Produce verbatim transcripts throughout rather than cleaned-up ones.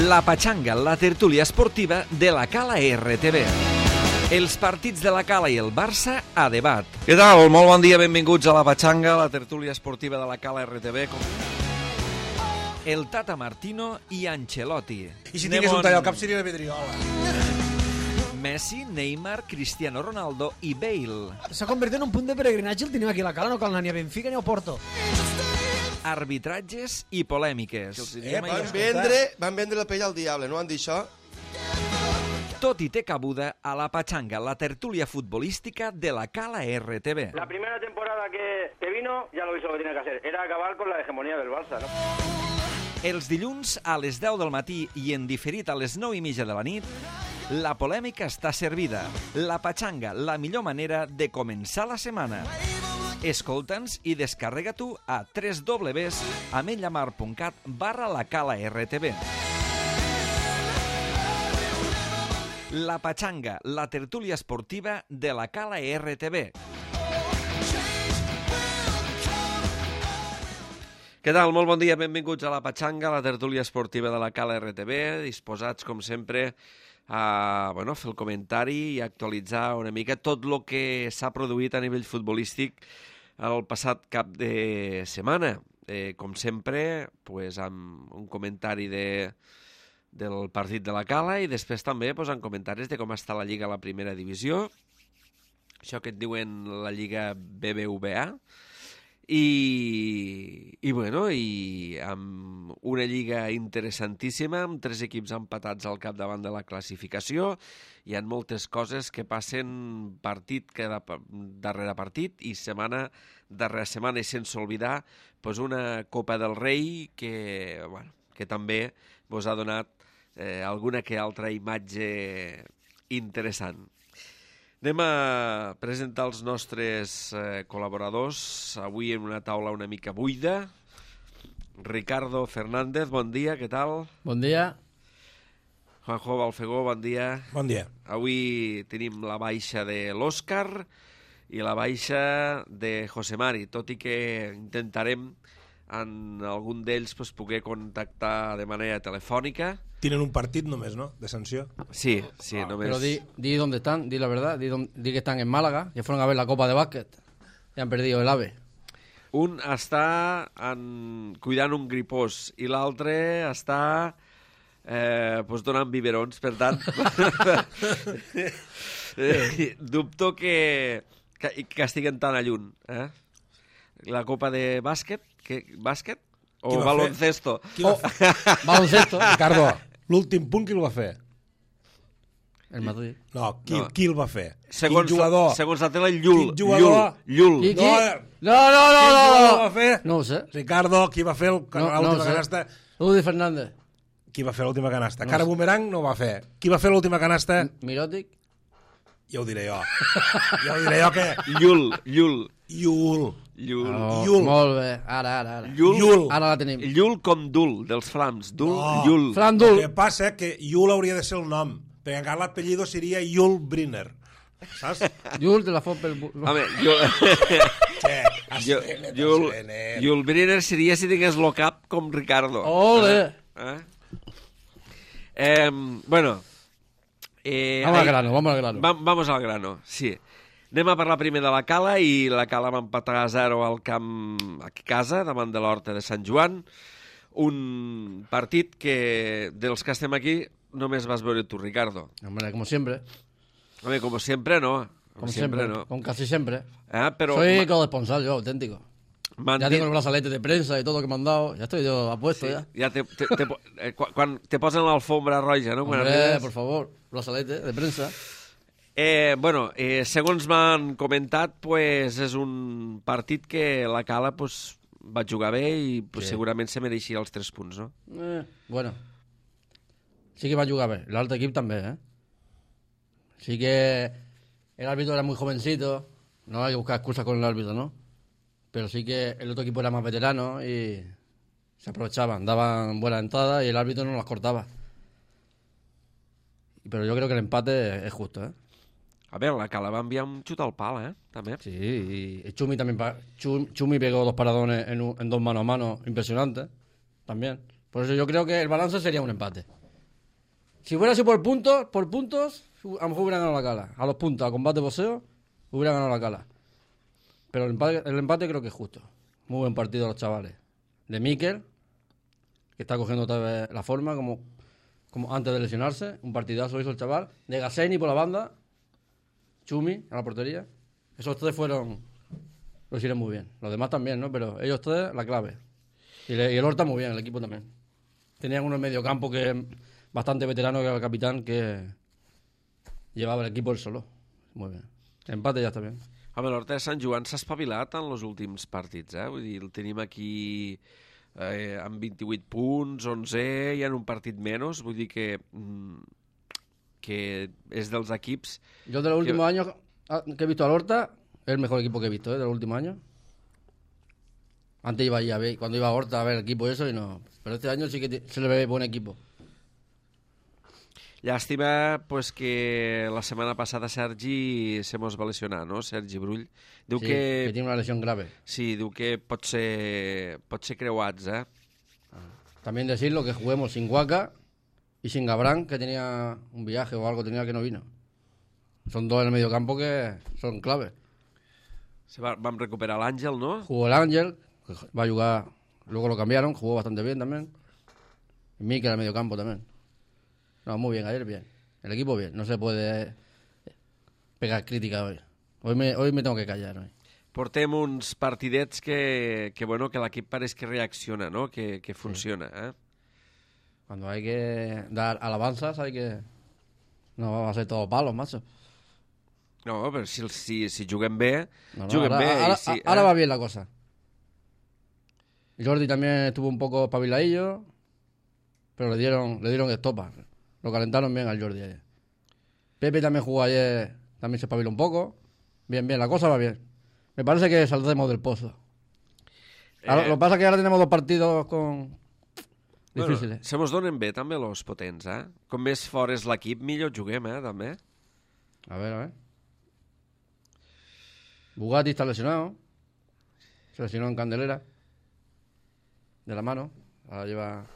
La Patxanga, la tertúlia esportiva de la Cala R T V. Els partits de la Cala i el Barça a debat. Què tal? Molt bon dia, benvinguts a La Patxanga, la tertúlia esportiva de la Cala R T V. El Tata Martino i Ancelotti. I si tingués un tall al cap seria la Pedriola. Messi, Neymar, Cristiano Ronaldo i Bale. S'ha convertit en un punt de peregrinatge el tenim aquí a la Cala, no cal anar ni a Benfica ni a Porto. Arbitratges i polèmiques. Eh, van, vendre, van vendre la pell al diable, no han dit això? Tot i té cabuda a La Patxanga, la tertúlia futbolística de la Cala R T V. La primera temporada que, que vino ya lo hizo lo que tenía que hacer. Era acabar con la hegemonía del Barça, ¿no? Els dilluns a les deu del matí i en diferit a les nou i mitja de la nit, la polèmica està servida. La Patxanga, la millor manera de començar la setmana. Escolta'ns i descarrega-t'ho a w w w punt ametlla mar punt cat barra la Cala R T V. La Patxanga, la tertúlia esportiva de la Cala R T V. Què tal? Molt bon dia, benvinguts a La Patxanga, la tertúlia esportiva de la Cala R T V, disposats, com sempre, a bueno, fer el comentari i actualitzar una mica tot el que s'ha produït a nivell futbolístic el passat cap de setmana. Eh, com sempre, pues, amb un comentari de, del partit de la Cala i després també pues, amb comentaris de com està la Lliga a la primera divisió, això que et diuen la Lliga B B V A, I, i, bueno, i amb una lliga interessantíssima, amb tres equips empatats al capdavant de la classificació. Hi ha moltes coses que passen partit cada, darrere partit i setmana darrere setmana, i sense oblidar pues, una Copa del Rei que, bueno, que també vos ha donat eh, alguna que altra imatge interessant. Anem a presentar els nostres eh, col·laboradors, avui en una taula una mica buida. Ricardo Fernández, bon dia, què tal? Bon dia. Juanjo Balfegó, bon dia. Bon dia. Avui tenim la baixa de l'Òscar i la baixa de José Mari, tot i que intentarem en algun d'ells pues, poder contactar de manera telefònica. Tienen un partit només, ¿no? De sanció. Sí, sí, ah, només... Pero di, di dónde están, di la verdad, di, don, di que están en Málaga, que fueron a ver la Copa de Básquet y han perdido el AVE. Un està en... cuidant un gripós i l'altre està eh, pues donant biberons, per tant eh, dubto que, que, que estiguen tan a lluny. Eh? La Copa de Bàsquet, que, bàsquet o baloncesto? Oh, baloncesto. Ricardo, l'últim punt qui el va fer? El Madrid. No, qui, no. qui el va fer? Segons, Quin jugador? Segons la tele, Llull. Quin jugador? Llull. Qui, qui? No, No, no, no, Quin no, jugador no. va fer? No ho sé. Ricardo, qui va fer el, No, no l'última ho sé. canasta? Udi Fernández. Qui va fer l'última canasta? No Cara sé. Boomerang no ho va fer. Qui va fer l'última canasta? Mirotic. Ja ho diré jo. Ja ho diré jo que... Llull, Llull. Llull. Llull. Oh, Llull. molt bé. Ara, ara, ara. Llull. Llull. Ara la tenim. Llull com Dul, dels Flams. Dul, No. Llull. Fran El Dul. que passa és que Llull hauria de ser el nom, perquè encara l'apellido seria Llull Briner. Saps? Llull de la Fopel. Home, Llull... Sí, Llull, Llull Briner seria si tingués lo cap com Ricardo. Ole. Eh? Eh, bueno... Eh, Vamos al ahí- grano, vamos al grano. Va, vamos al grano, sí. Anem a parlar primer de la Cala, i la Cala va empatar a zero al camp aquí a casa, davant de l'Horta de Sant Joan. Un partit que, dels que estem aquí, només vas veure tu, Ricardo. Hombre, como siempre. Home, como siempre, no. Como, Como siempre, siempre. no. Como casi siempre. Eh, pero Soy corresponsal yo, auténtico. m'han Ya dit- tengo el brazalete de prensa y todo que me han dado. Ya estoy yo apuesto Sí, ya. ja te, te, te, eh, quan, quan te posen l'alfombra roja, no? Quan Hombre, arribes. por favor, brazalete de prensa. Eh, bueno, eh, segons m'han comentat, pues, és un partit que la Cala pues, va jugar bé i pues, Sí. segurament se mereixia els tres punts, no? Eh, bueno. Sí que va a jugar bé. L'altre equip també, ¿eh? Sí que el árbitro era muy jovencito. No hay que buscar excusas con el árbitro, ¿no? Pero sí que el otro equipo era más veterano y se aprovechaban, daban buenas entradas y el árbitro no las cortaba. Pero yo creo que el empate es justo, ¿eh? A ver, la Cala va enviar un xut al pal, ¿eh? També. Sí, y Chumi también. pa- Chum- Chumi pegó dos paradones en, un- en dos mano a mano impresionantes. También. Por eso yo creo que el balance sería un empate. Si hubiera sido por puntos, por puntos, a lo mejor hubiera ganado la Cala. A los puntos, a combate boxeo, hubiera ganado la Cala. Pero el empate, el empate creo que es justo. Muy buen partido de los chavales. De Mikel, que está cogiendo otra vez la forma, como, como antes de lesionarse. Un partidazo hizo el chaval. De Gaseni por la banda. Chumi a la portería. Esos tres fueron... Lo hicieron muy bien. Los demás también, ¿no? Pero ellos tres, la clave. Y, le, y el Horta muy bien, el equipo también. Tenían uno en medio campo que es bastante veterano, que era el capitán, que llevava l'equip el solo. Molt bé. Empate ja està bé. Home, l'Horta de Sant Joan s'ha espavilat en els últims partits, eh? Vull dir, el tenim aquí eh, amb vint-i-vuit punts, onze, i en un partit menys. Vull dir que, mm, que és dels equips... Yo de los últimos que... años que he visto al Horta, es el mejor equipo que he visto, ¿eh? De los últimos años. Antes iba a ver, cuando iba a Horta a ver el equipo y eso, y no. Pero este año sí que se le ve buen equipo. Llàstima pues, que la setmana passada Sergi se mos va lesionar, no? Sergi Brull. Diu sí, que... que tiene una lesión grave. Sí, diu que pot ser, pot ser creuats, eh? También decirlo que juguemos sin Huaca y sin Gabrán, que tenía un viaje o algo, tenía que no vino. Son dos en el medio campo que son clave. Se va, vam recuperar l'Àngel, no? Jugó el Ángel, que va a jugar, luego lo cambiaron, jugó bastante bien también. Y Mikel en el medio campo también. No, muy bien, ayer bien. El equipo bien, no se puede pegar crítica hoy. Hoy me, hoy me tengo que callar. Hoy. Portem uns partidets que, que, bueno, que l'equip pareix que reacciona, no? Que, que funciona, sí. eh? Cuando hay que dar alabanzas hay que... No va a ser todo palos, macho. No, però si, si, si juguem bé, no, no, juguem ahora, bé. Ahora, si, ahora eh? va bien la cosa. Jordi también estuvo un poco espabiladillo, pero le dieron, le dieron estopa. Lo calentaron bien al Jordi ayer. Pepe también jugó ayer, también se espabiló un poco. Bien, bien, la cosa va bien. Me parece que saldremos del pozo. Ahora, eh... Lo que pasa es que ahora tenemos dos partidos con... difíciles. Bueno, se mos donen bé també los potents, eh? Com més fort és l'equip, millor juguem, eh, també. A ver, a ver. Bugatti está lesionado. Se lesionó en Candelera. De la mano. Ahora lleva...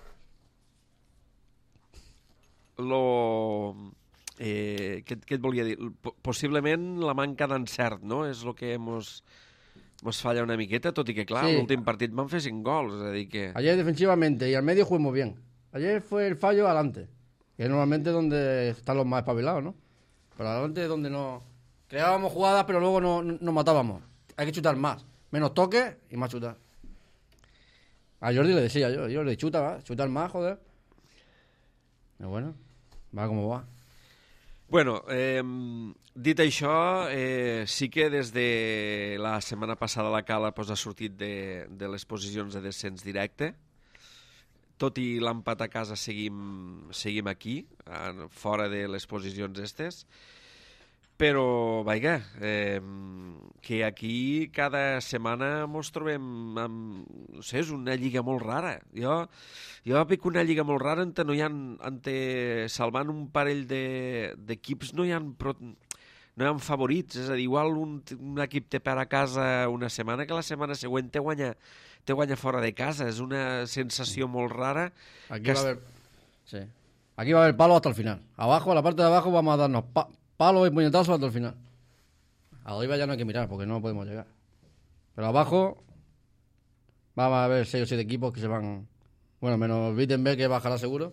Lo... Eh, què, què et volia dir? Possiblement la manca d'encert, no? És el que mos, mos falla una miqueta, tot i que, clar, sí. L'últim partit van fer cinc gols, és a dir que... Ayer defensivamente y al medio jugamos bien. Ayer fue el fallo adelante, que es normalmente donde están los más espabilados, ¿no? Pero adelante es donde no... Creábamos jugadas, pero luego no, no, nos matábamos. Hay que chutar más. Menos toques y más chutar. A Jordi le decía yo, yo le chuta, ¿va? Chutar más, joder. Pero bueno, va como va. Bueno, eh, dit això, eh, sí que des de la setmana passada la Cala pues, ha sortit de, de les posicions de descens directe. Tot i l'empat a casa seguim, seguim aquí, fora de les posicions estes. Però, vaja, eh, que aquí cada setmana ens trobem amb... No sé, és una lliga molt rara. Jo, jo veig una lliga molt rara on no hi ha... Ante, salvant un parell d'equips de, no hi ha... Pro, no hi ha favorits. És a dir, igual un, un equip té per a casa una setmana que la setmana següent té guanya, té guanya fora de casa. És una sensació molt rara. Aquí va a haber... Sí. Aquí va a haber palo hasta el final. Abajo, a la parte de abajo, vamos a darnos... Pa palos y puñetazos hasta el final. Arriba ya no hay que mirar porque no podemos llegar. Pero abajo vamos a ver seis o siete equipos que se van... Bueno, menos Wittenberg, que bajará seguro.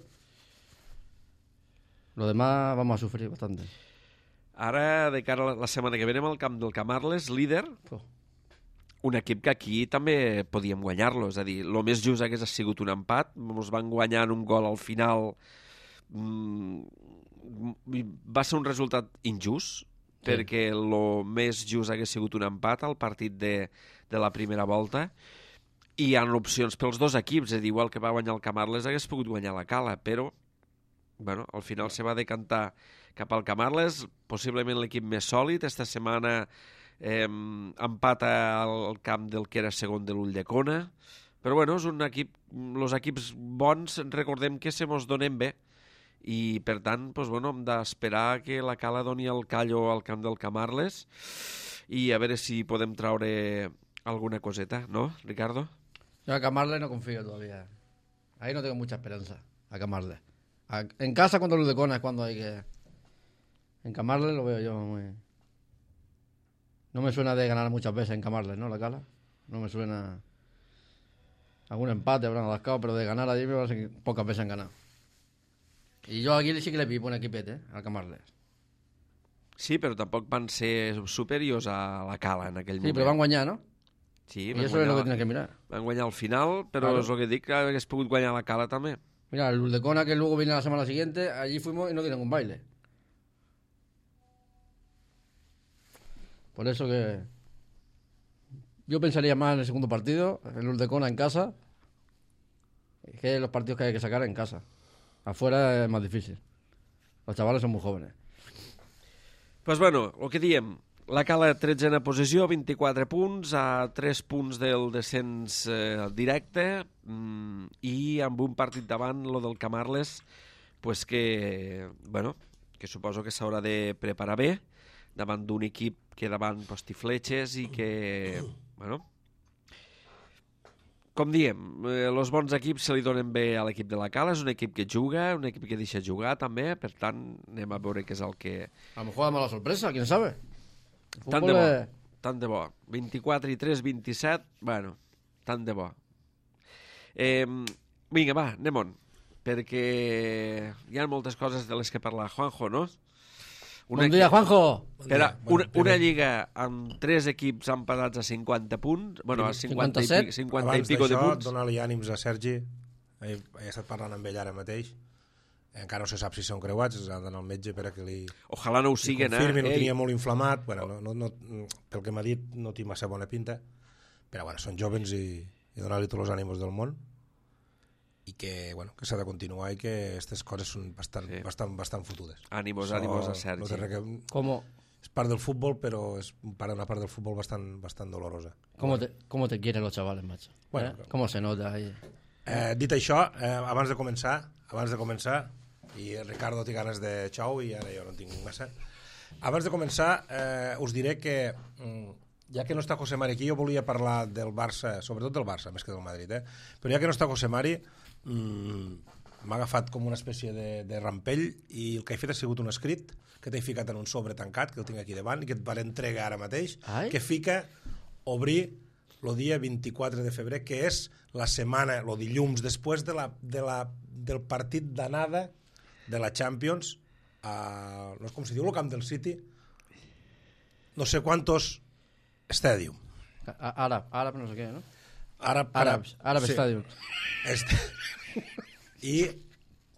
Lo demás vamos a sufrir bastante. Ara, de cara a la setmana que ve, anem al camp del Camarles, líder. Oh. Un equip que aquí també podíem guanyar-lo. És a dir, el més just hagués sigut un empat. Ens van guanyar un gol al final... Mm, va ser un resultat injust, sí. Perquè el més just hagués sigut un empat al partit de, de la primera volta, i hi ha opcions pels dos equips, és a dir, igual que va guanyar el Camarles hagués pogut guanyar la Cala, però bueno, al final se va decantar cap al Camarles, possiblement l'equip més sòlid. Esta setmana eh, empata al camp del que era segon de l'Ulldecona, però bueno, és un equip, els equips bons recordem que se mos donen bé, i per tant doncs, bueno, hem d'esperar que la Cala doni el callo al camp del Camarles i a veure si podem traure alguna coseta, ¿no, Ricardo? Yo a Camarles no confío todavía. Ahí no tengo mucha esperanza, a Camarles. A- En casa contra Luz de Cona es cuando hay que encamarle, lo veo yo muy... No me suena de ganar muchas veces encamarle, ¿no? La Cala. No me suena... Algún empate habrán alascado, pero de ganar allí me parece que pocas veces han ganado. Y yo aquí sí que le pipo un equipete, eh, al Camarles. Sí, però tampoc van ser superiors a la Cala en aquell Sí, moment. pero van guanyar, ¿no? Sí, Y van eso es lo que guanyar, tienes que mirar. van guanyar al final, però Claro. és el que dic, que hagués pogut guanyar la Cala també. Mira, el Luz de Cona que luego viene la semana siguiente, allí fuimos y no dieron un baile. Por eso que... Yo pensaría más en el segundo partido, el Luz de Cona en casa, que los partidos que hay que sacar en casa. Afuera es más difícil. Los chavales son muy jóvenes. Pues bueno, el que diem, la Cala tretzena posició, vint-i-quatre punts, a tres punts del descens eh, directe, mm, i amb un partit davant, lo del Camarles, pues que, bueno, que suposo que s'haurà de preparar bé, davant d'un equip que davant postifletxes i que, bueno, com diem, eh, els bons equips se li donen bé a l'equip de la Cala, és un equip que juga, un equip que deixa jugar també, per tant, anem a veure què és el que... A lo mejor da mala sorpresa, quién sabe. El Tant de fútbol bo, es- tant de bo. vint-i-quatre i tres, vint-i-set, bueno, tant de bo. Eh, vinga, va, anem-on, perquè hi ha moltes coses de les que parlar. Juanjo, no? Buen día, Juanjo. Espera, Bon dia. una, Bueno, una primer- lliga amb tres equips empatats a cinquanta punts, bueno, a cinquanta, i, cinquanta-set. pic, cinquanta i Abans pico de d'això, punts. donar-li ànims a Sergi. He, he estat parlant amb ell ara mateix. Encara no se sap si són creuats, ha d'anar al metge per a que li, Ojalà no ho li siguen, confirmi. eh? No Ei, tenia molt inflamat. Bueno, no, no, no, pel que m'ha dit, no té massa bona pinta. Però bueno, són jovens i, i donar-li tots els ànims del món. I que, bueno, que s'ha de continuar i que aquestes coses són bastant, Sí. sí. bastant, bastant fotudes. ànimos, Això ànimos a No Sergi. té res que... ¿Cómo, És part del futbol, però és part- una part del futbol bastant, bastant dolorosa. cómo, te, ¿Cómo te quieren los chavales, macho? Bueno, ¿Eh? claro. ¿Cómo se nota ahí? Eh, dit això, eh, abans de començar, abans de començar, i Ricardo té ganes de xou i ara jo no en tinc massa, abans de començar eh, us diré que mm, ja que no està José Mari aquí, jo volia parlar del Barça, sobretot del Barça, més que del Madrid, eh? Però ja que no està José Mari, mm, m'ha agafat com una espècie de, de rampell i el que he fet ha sigut un escrit que t'he ficat en un sobre tancat, que el tinc aquí davant i que et van entregar ara mateix, Ai. que fica obrir el dia vint-i-quatre de febrer, que és la setmana, el dilluns, després de la, de la, del partit d'anada de la Champions, a, no sé com se diu, el camp del City, no sé quantos Stadium. A- Árabe, árabe no sé qué, ¿no? Àrab, Árabes, Árabe sí. Stadium. Este. I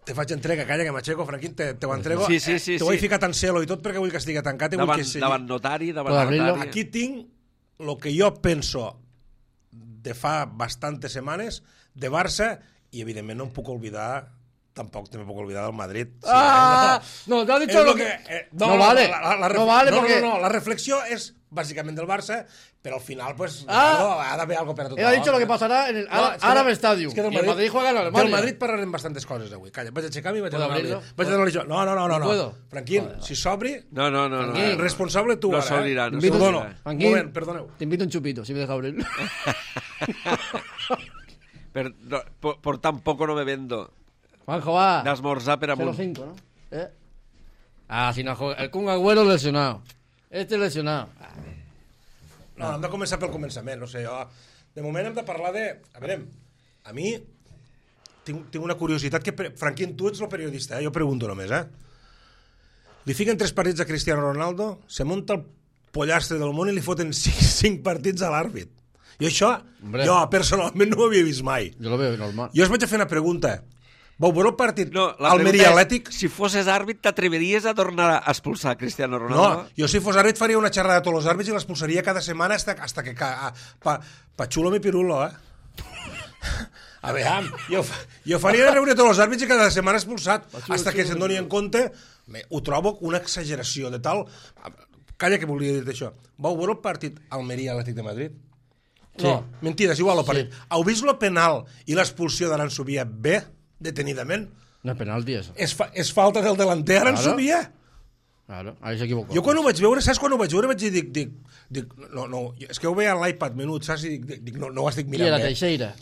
te faig entrega, calla que m'aixeco, Franquín, te, te ho entrego. Sí, sí, sí, te ho he sí. ficat en celo i tot perquè vull que estigui tancat i vull Davant, que sigui... davant notari, davant Puedo abrirlo? notari. Aquí tinc el que jo penso de fa bastantes setmanes de Barça i evidentment no em puc oblidar, tampoc me puc oblidar del Madrid. Sí, ¡Ah! eh, No, te has És dicho lo lo que... eh, No vale, la, la, la no vale no, porque- No, no, la reflexió és bàsicament del Barça, però al final, pues, Ah. Ricardo, ha d'haver algo per a tothom. Él ha dicho lo que pasará en el Ára- és que Árabe de- Stadium. és que del Y el Madrid juega en Alemania. Del Madrid parlarem bastantes coses avui. Calla, vaig aixecar-me i vaig a ¿Puedo donar-li... abrirlo? Vaig a donar-li jo. No, no, no, no. ¿No puedo? Franquín, Joder, si s'obri, No, no, no. no, eh, no. responsable tu No ara. s'obrirà, eh? no T'ho s'obrirà. dono. Un Franquín. moment, perdoneu. Te invito un chupito, si me deja abrir. Per, no, por, por tan poco no me vendo Juanjo, va. d'esmorzar per cero amunt. cinco, ¿no? ¿Eh? Ah, si no juega. El Kun Agüero lesionado. Este lesionado. Ah, No, hem de començar pel començament, no sé, jo... De moment hem de parlar de... A veure, a mi tinc, tinc una curiositat que... pre- Franquín, tu ets el periodista, eh? Jo pregunto només, eh? Li fiquen tres partits a Cristiano Ronaldo, se munta el pollastre del món i li foten cinc, cinc partits a l'àrbit. Jo això, Hombre. jo personalment no ho havia vist mai. yo lo veo normal. Jo us vaig a fer una pregunta. Vau veure el partit No, la Almeria pregunta Atlètic? és, si fosses àrbit, t'atreveries a tornar a expulsar Cristiano No, Ronaldo? jo si fos àrbit faria una xerrada a tots els àrbits i l'expulsaria cada setmana hasta, hasta que... Ca, pa, pa xulo mi pirulo, eh? A veure, jo, fa- jo faria reunir tots els àrbits i cada setmana expulsat, hasta que se'n doni en compte. Me, ho trobo una exageració de tal... Calla que volia dir això. Vau veure el partit Almeria-Atlètic de Madrid? Sí. No, mentida, és igual el partit. Heu vist el penal i l'expulsió de l'Ansubia bé, detenidament? No es penalti eso. És, fa, és falta del delanter Claro. Aranzubia? Claro, ahí se equivocó. Jo quan ho vaig veure, saps quan ho vaig veure? Vaig dir, dic, dic, dic no, no, és que ho veia a l'iPad menut, saps? I dic, dic no, no ho estic Y era mirant bé. Teixeira.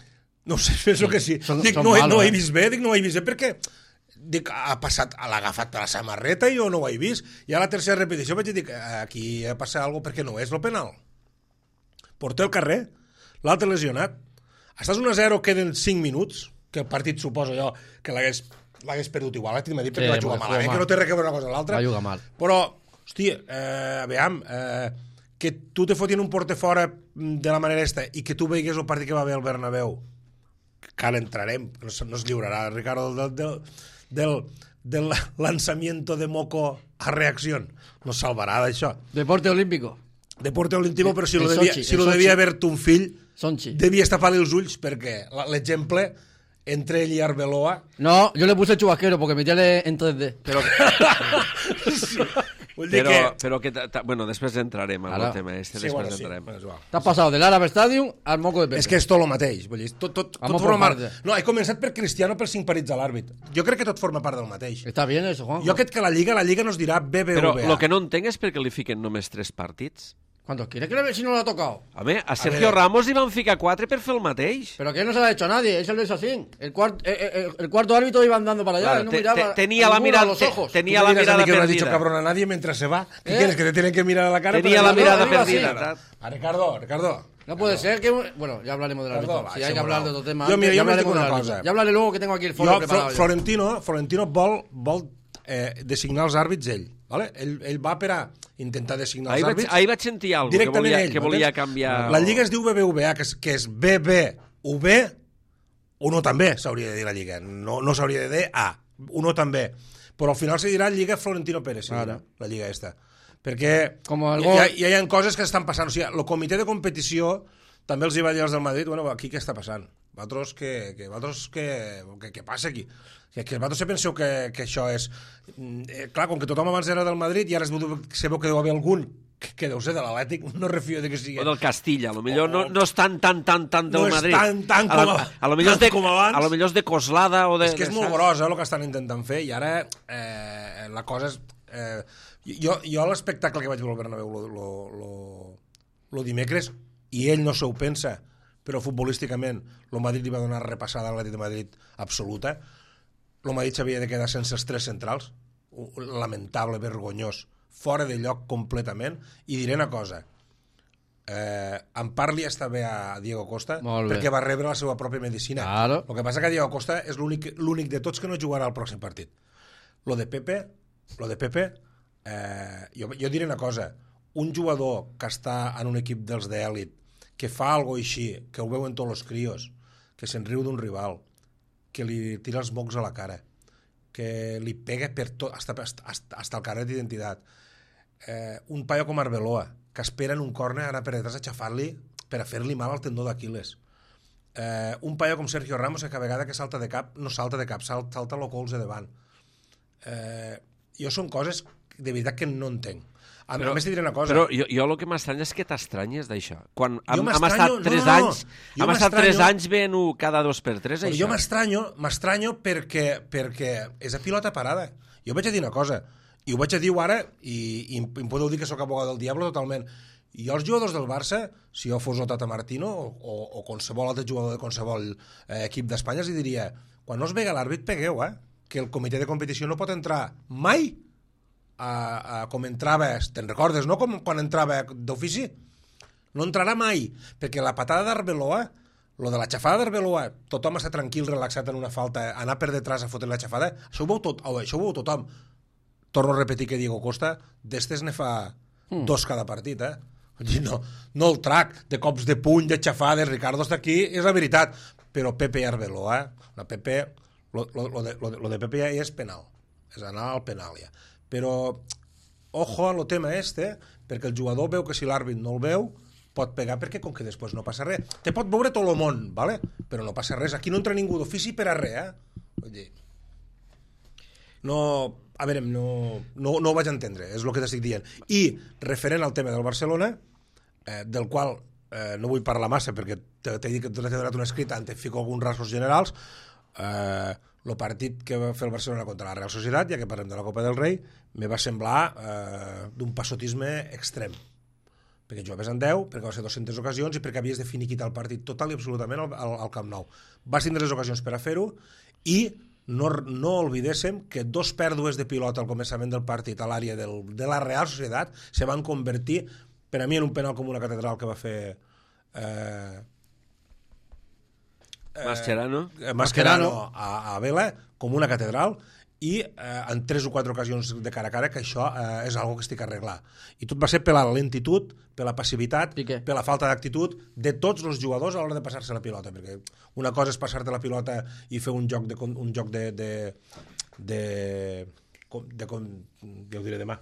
No sé, penso que sí. Són- Dic, són no, he- malos, no he eh? vist bé, dic, no he vist bé, perquè dic, ha passat, l'ha agafat a la samarreta i jo no ho he vist. I a la tercera repetició vaig dir, aquí ha passat alguna cosa perquè no és el penal. Porter al carrer, l'altre lesionat. Estàs un a zero, queden cinc minuts, que el partit suposa jo que l'hagués l'hagués perdut igual, l'Atlètic de Madrid, perquè Sí, va jugar perquè malament, jugà que no té res a veure una cosa amb l'altra. Va jugar mal. Però, hòstia, eh, aviam, eh, que tu te fotin un porter fora de la manera esta i que tu veigues el partit que va haver al Bernabéu, que ara entrarem, no es, no es lliurarà, Ricardo, del, del, del, del lanzamiento de Moco a reacció. No salvarà d'això. Deporte olímpico. Deporte olímpico, però si El lo devia, Sochi, si el lo Sochi. devia haver tu un fill, Sonchi. devia tapar-li els ulls, perquè la- l'exemple entre ell i Arbeloa... No, yo le puse chubasquero porque metía en tres D. Però, sí. Vull dir però, que... però que ta- ta- bueno, després entrarem en Ara. el tema este, Sí, després bueno, sí. entrarem. Bueno, és igual. Te has pasado del Árabe Stadium al moco de Pepe. És que és tot el mateix. Vull dir, tot, tot, tot Vamos forma por part... parte. No, he començat per Cristiano per cinc partits a l'àrbit. Jo crec que tot forma part del mateix. Está bien eso, Juan. Jo crec que la Lliga la Lliga nos dirà B B V A. Però el que no entenc és perquè li fiquen només tres partits. ¿Cuántos quiere que le ve si no lo ha tocado? Home, a Sergio veure. Ramos li van ficar quatre per fer el mateix. Pero que no se lo ha hecho a nadie, eso lo hizo así. El, cuart, eh, eh, el cuarto árbitro iba andando para allá, Claro, él no te- miraba te- tenía a la ninguno mirada- a los te- ojos. tenía ¿Tú la me dirás a mirada mí que no has dicho perdida. cabrón a nadie mientras se va? ¿Qué ¿Eh? quieres? ¿Que te tienen que mirar a la cara? Tenía para la que- mirada iba así. perdida. A Ricardo, Ricardo. No puede ser que... Bueno, ya hablaremos del Perdó, árbitro. va, Si hay que això hablar no. de otro tema... Jo, antes, mira, ya jo m'he dit hablaremos una del cosa. árbitro. Ya hablaré luego que tengo aquí el foro Jo, preparado. Flo- ya. Florentino, Florentino vol, vol eh, designar els àrbits ell. Vale? Ell, ell va per a intentar designar Ahir els vaig, àrbits. ahir vaig sentir alguna cosa que Directament volia, ell. que volia m'entens? canviar... La Lliga es diu B B V A, que és, que és B B V, uno també s'hauria de dir la Lliga. No, no s'hauria de dir A, uno també. Però al final se dirà Lliga Florentino Pérez, se dirà, la Lliga esta. Perquè Com el hi, gol- hi, ha, hi ha coses que estan passant. O sigui, el comitè de competició també els hi va dir als del Madrid, bueno, aquí què està passant? Vosaltres què, què, vosaltres què, què, què passa aquí? Que, que vosaltres se penseu que, que això és... Eh, clar, com que tothom abans era del Madrid i ara es veu, se veu que deu haver algun que, que deu ser de l'Atlètic, no refio de que sigui... O del Castilla, a lo millor no, no és tan, tan, tan, tan del No és Madrid. tan, tan a, com la, a- a, lo millor és de, tant com abans. a lo millor és de Coslada o de... És que és de molt saps? gros, eh, el que estan intentant fer, i ara eh, la cosa és... Eh, jo jo l'espectacle que vaig veure al Bernabéu lo, lo, lo, lo dimecres, i ell no se ho pensa, però futbolísticament el Madrid li va donar repassada a l'Atlètic de Madrid absoluta. El Madrid s'havia de quedar sense els tres centrals, un lamentable, vergonyós, fora de lloc completament, i diré una cosa, eh, en part li està bé a Diego Costa, Molt bé. perquè va rebre la seva pròpia medicina. Claro. El que passa que Diego Costa és l'únic l'únic de tots que no jugarà al pròxim partit. Lo de Pepe, lo de Pepe eh, jo, jo diré una cosa, un jugador que està en un equip dels d'èlit, que fa algo així, que ho veuen tots els crios, que se'n riu d'un rival, que li tira els mocs a la cara, que li pega per tot, hasta, hasta, hasta el carnet d'identitat. Eh, un paio com Arbeloa, que espera en un córner anar per detrás a xafar-li per a fer-li mal al tendó d'Aquiles. Eh, un paio com Sergio Ramos, que a vegada que salta de cap, no salta de cap, salta, salta el colze davant. Eh, jo són coses de veritat que no entenc. A, però, a més, te diré una cosa. Però jo, jo el que m'estranya és que t'estranyes d'això. Quan Jo hem, hem m'estranyo- estat no, tres no, no. anys, Jo hem estat tres m'estranyo- anys veient cada dos per tres, Però això. jo m'estranyo, m'estranyo perquè, perquè és a pilota parada. Jo vaig a dir una cosa, i ho vaig a dir ara, i, i em podeu dir que sóc abogado del diable totalment. I els jugadors del Barça, si jo fos el Tata Martino o, o, o qualsevol altre jugador de qualsevol eh, equip d'Espanya, els diria, quan no es vega l'àrbit, pegueu, eh? Que el comitè de competició no pot entrar mai a, a, com entrava, te'n recordes, no? Com quan entrava d'ofici. No entrarà mai, perquè la patada d'Arbeloa, lo de la xafada d'Arbeloa, tothom està tranquil, relaxat en una falta, anar per detrás a fotre la xafada, això ho veu, tot, oh, això ho veu tothom. Torno a repetir que Diego Costa, d'estes ne fa mm. dos cada partit, eh? No, no el trac de cops de puny, de xafades, Ricardo està aquí, és la veritat. Però Pepe i Arbeloa, la Pepe, lo, lo, lo, de, lo, de, lo de Pepe ja és penal, és anar al penal ja. Però, ojo a lo tema este, perquè el jugador veu que si l'àrbit no el veu, pot pegar perquè com que després no passa res. Te pot veure tot el món, ¿vale? Però no passa res. Aquí no entra ningú d'ofici per a res, eh? Vull dir, no, a veure, no, no, no ho vaig entendre, és el que t'estic dient. I, referent al tema del Barcelona, eh, del qual eh, no vull parlar massa perquè t'he dit que t'he donat un escrit, te fico alguns rasgos generals, eh, el partit que va fer el Barcelona contra la Real Societat, ja que parlem de la Copa del Rei, me va semblar eh, d'un passotisme extrem. Perquè jugaves en deu, perquè va ser dues-centes ocasions i perquè havies de finiquitar el partit total i absolutament al, al, al Camp Nou. Vas tindre les ocasions per a fer-ho i no, no oblidéssim que dos pèrdues de pilota al començament del partit a l'àrea del, de la Real Societat se van convertir, per a mi, en un penal com una catedral que va fer eh, Mascherano. eh, Mascherano a, a Vela, com una catedral, i eh, en tres o quatre ocasions de cara a cara, que això eh, és algo que estic a arreglar. I tot va ser per la lentitud, per la passivitat, Piqué. per la falta d'actitud de tots els jugadors a l'hora de passar-se la pilota, perquè una cosa és passar-te la pilota i fer un joc de, un joc de, de, de, de, de, ja ho diré demà,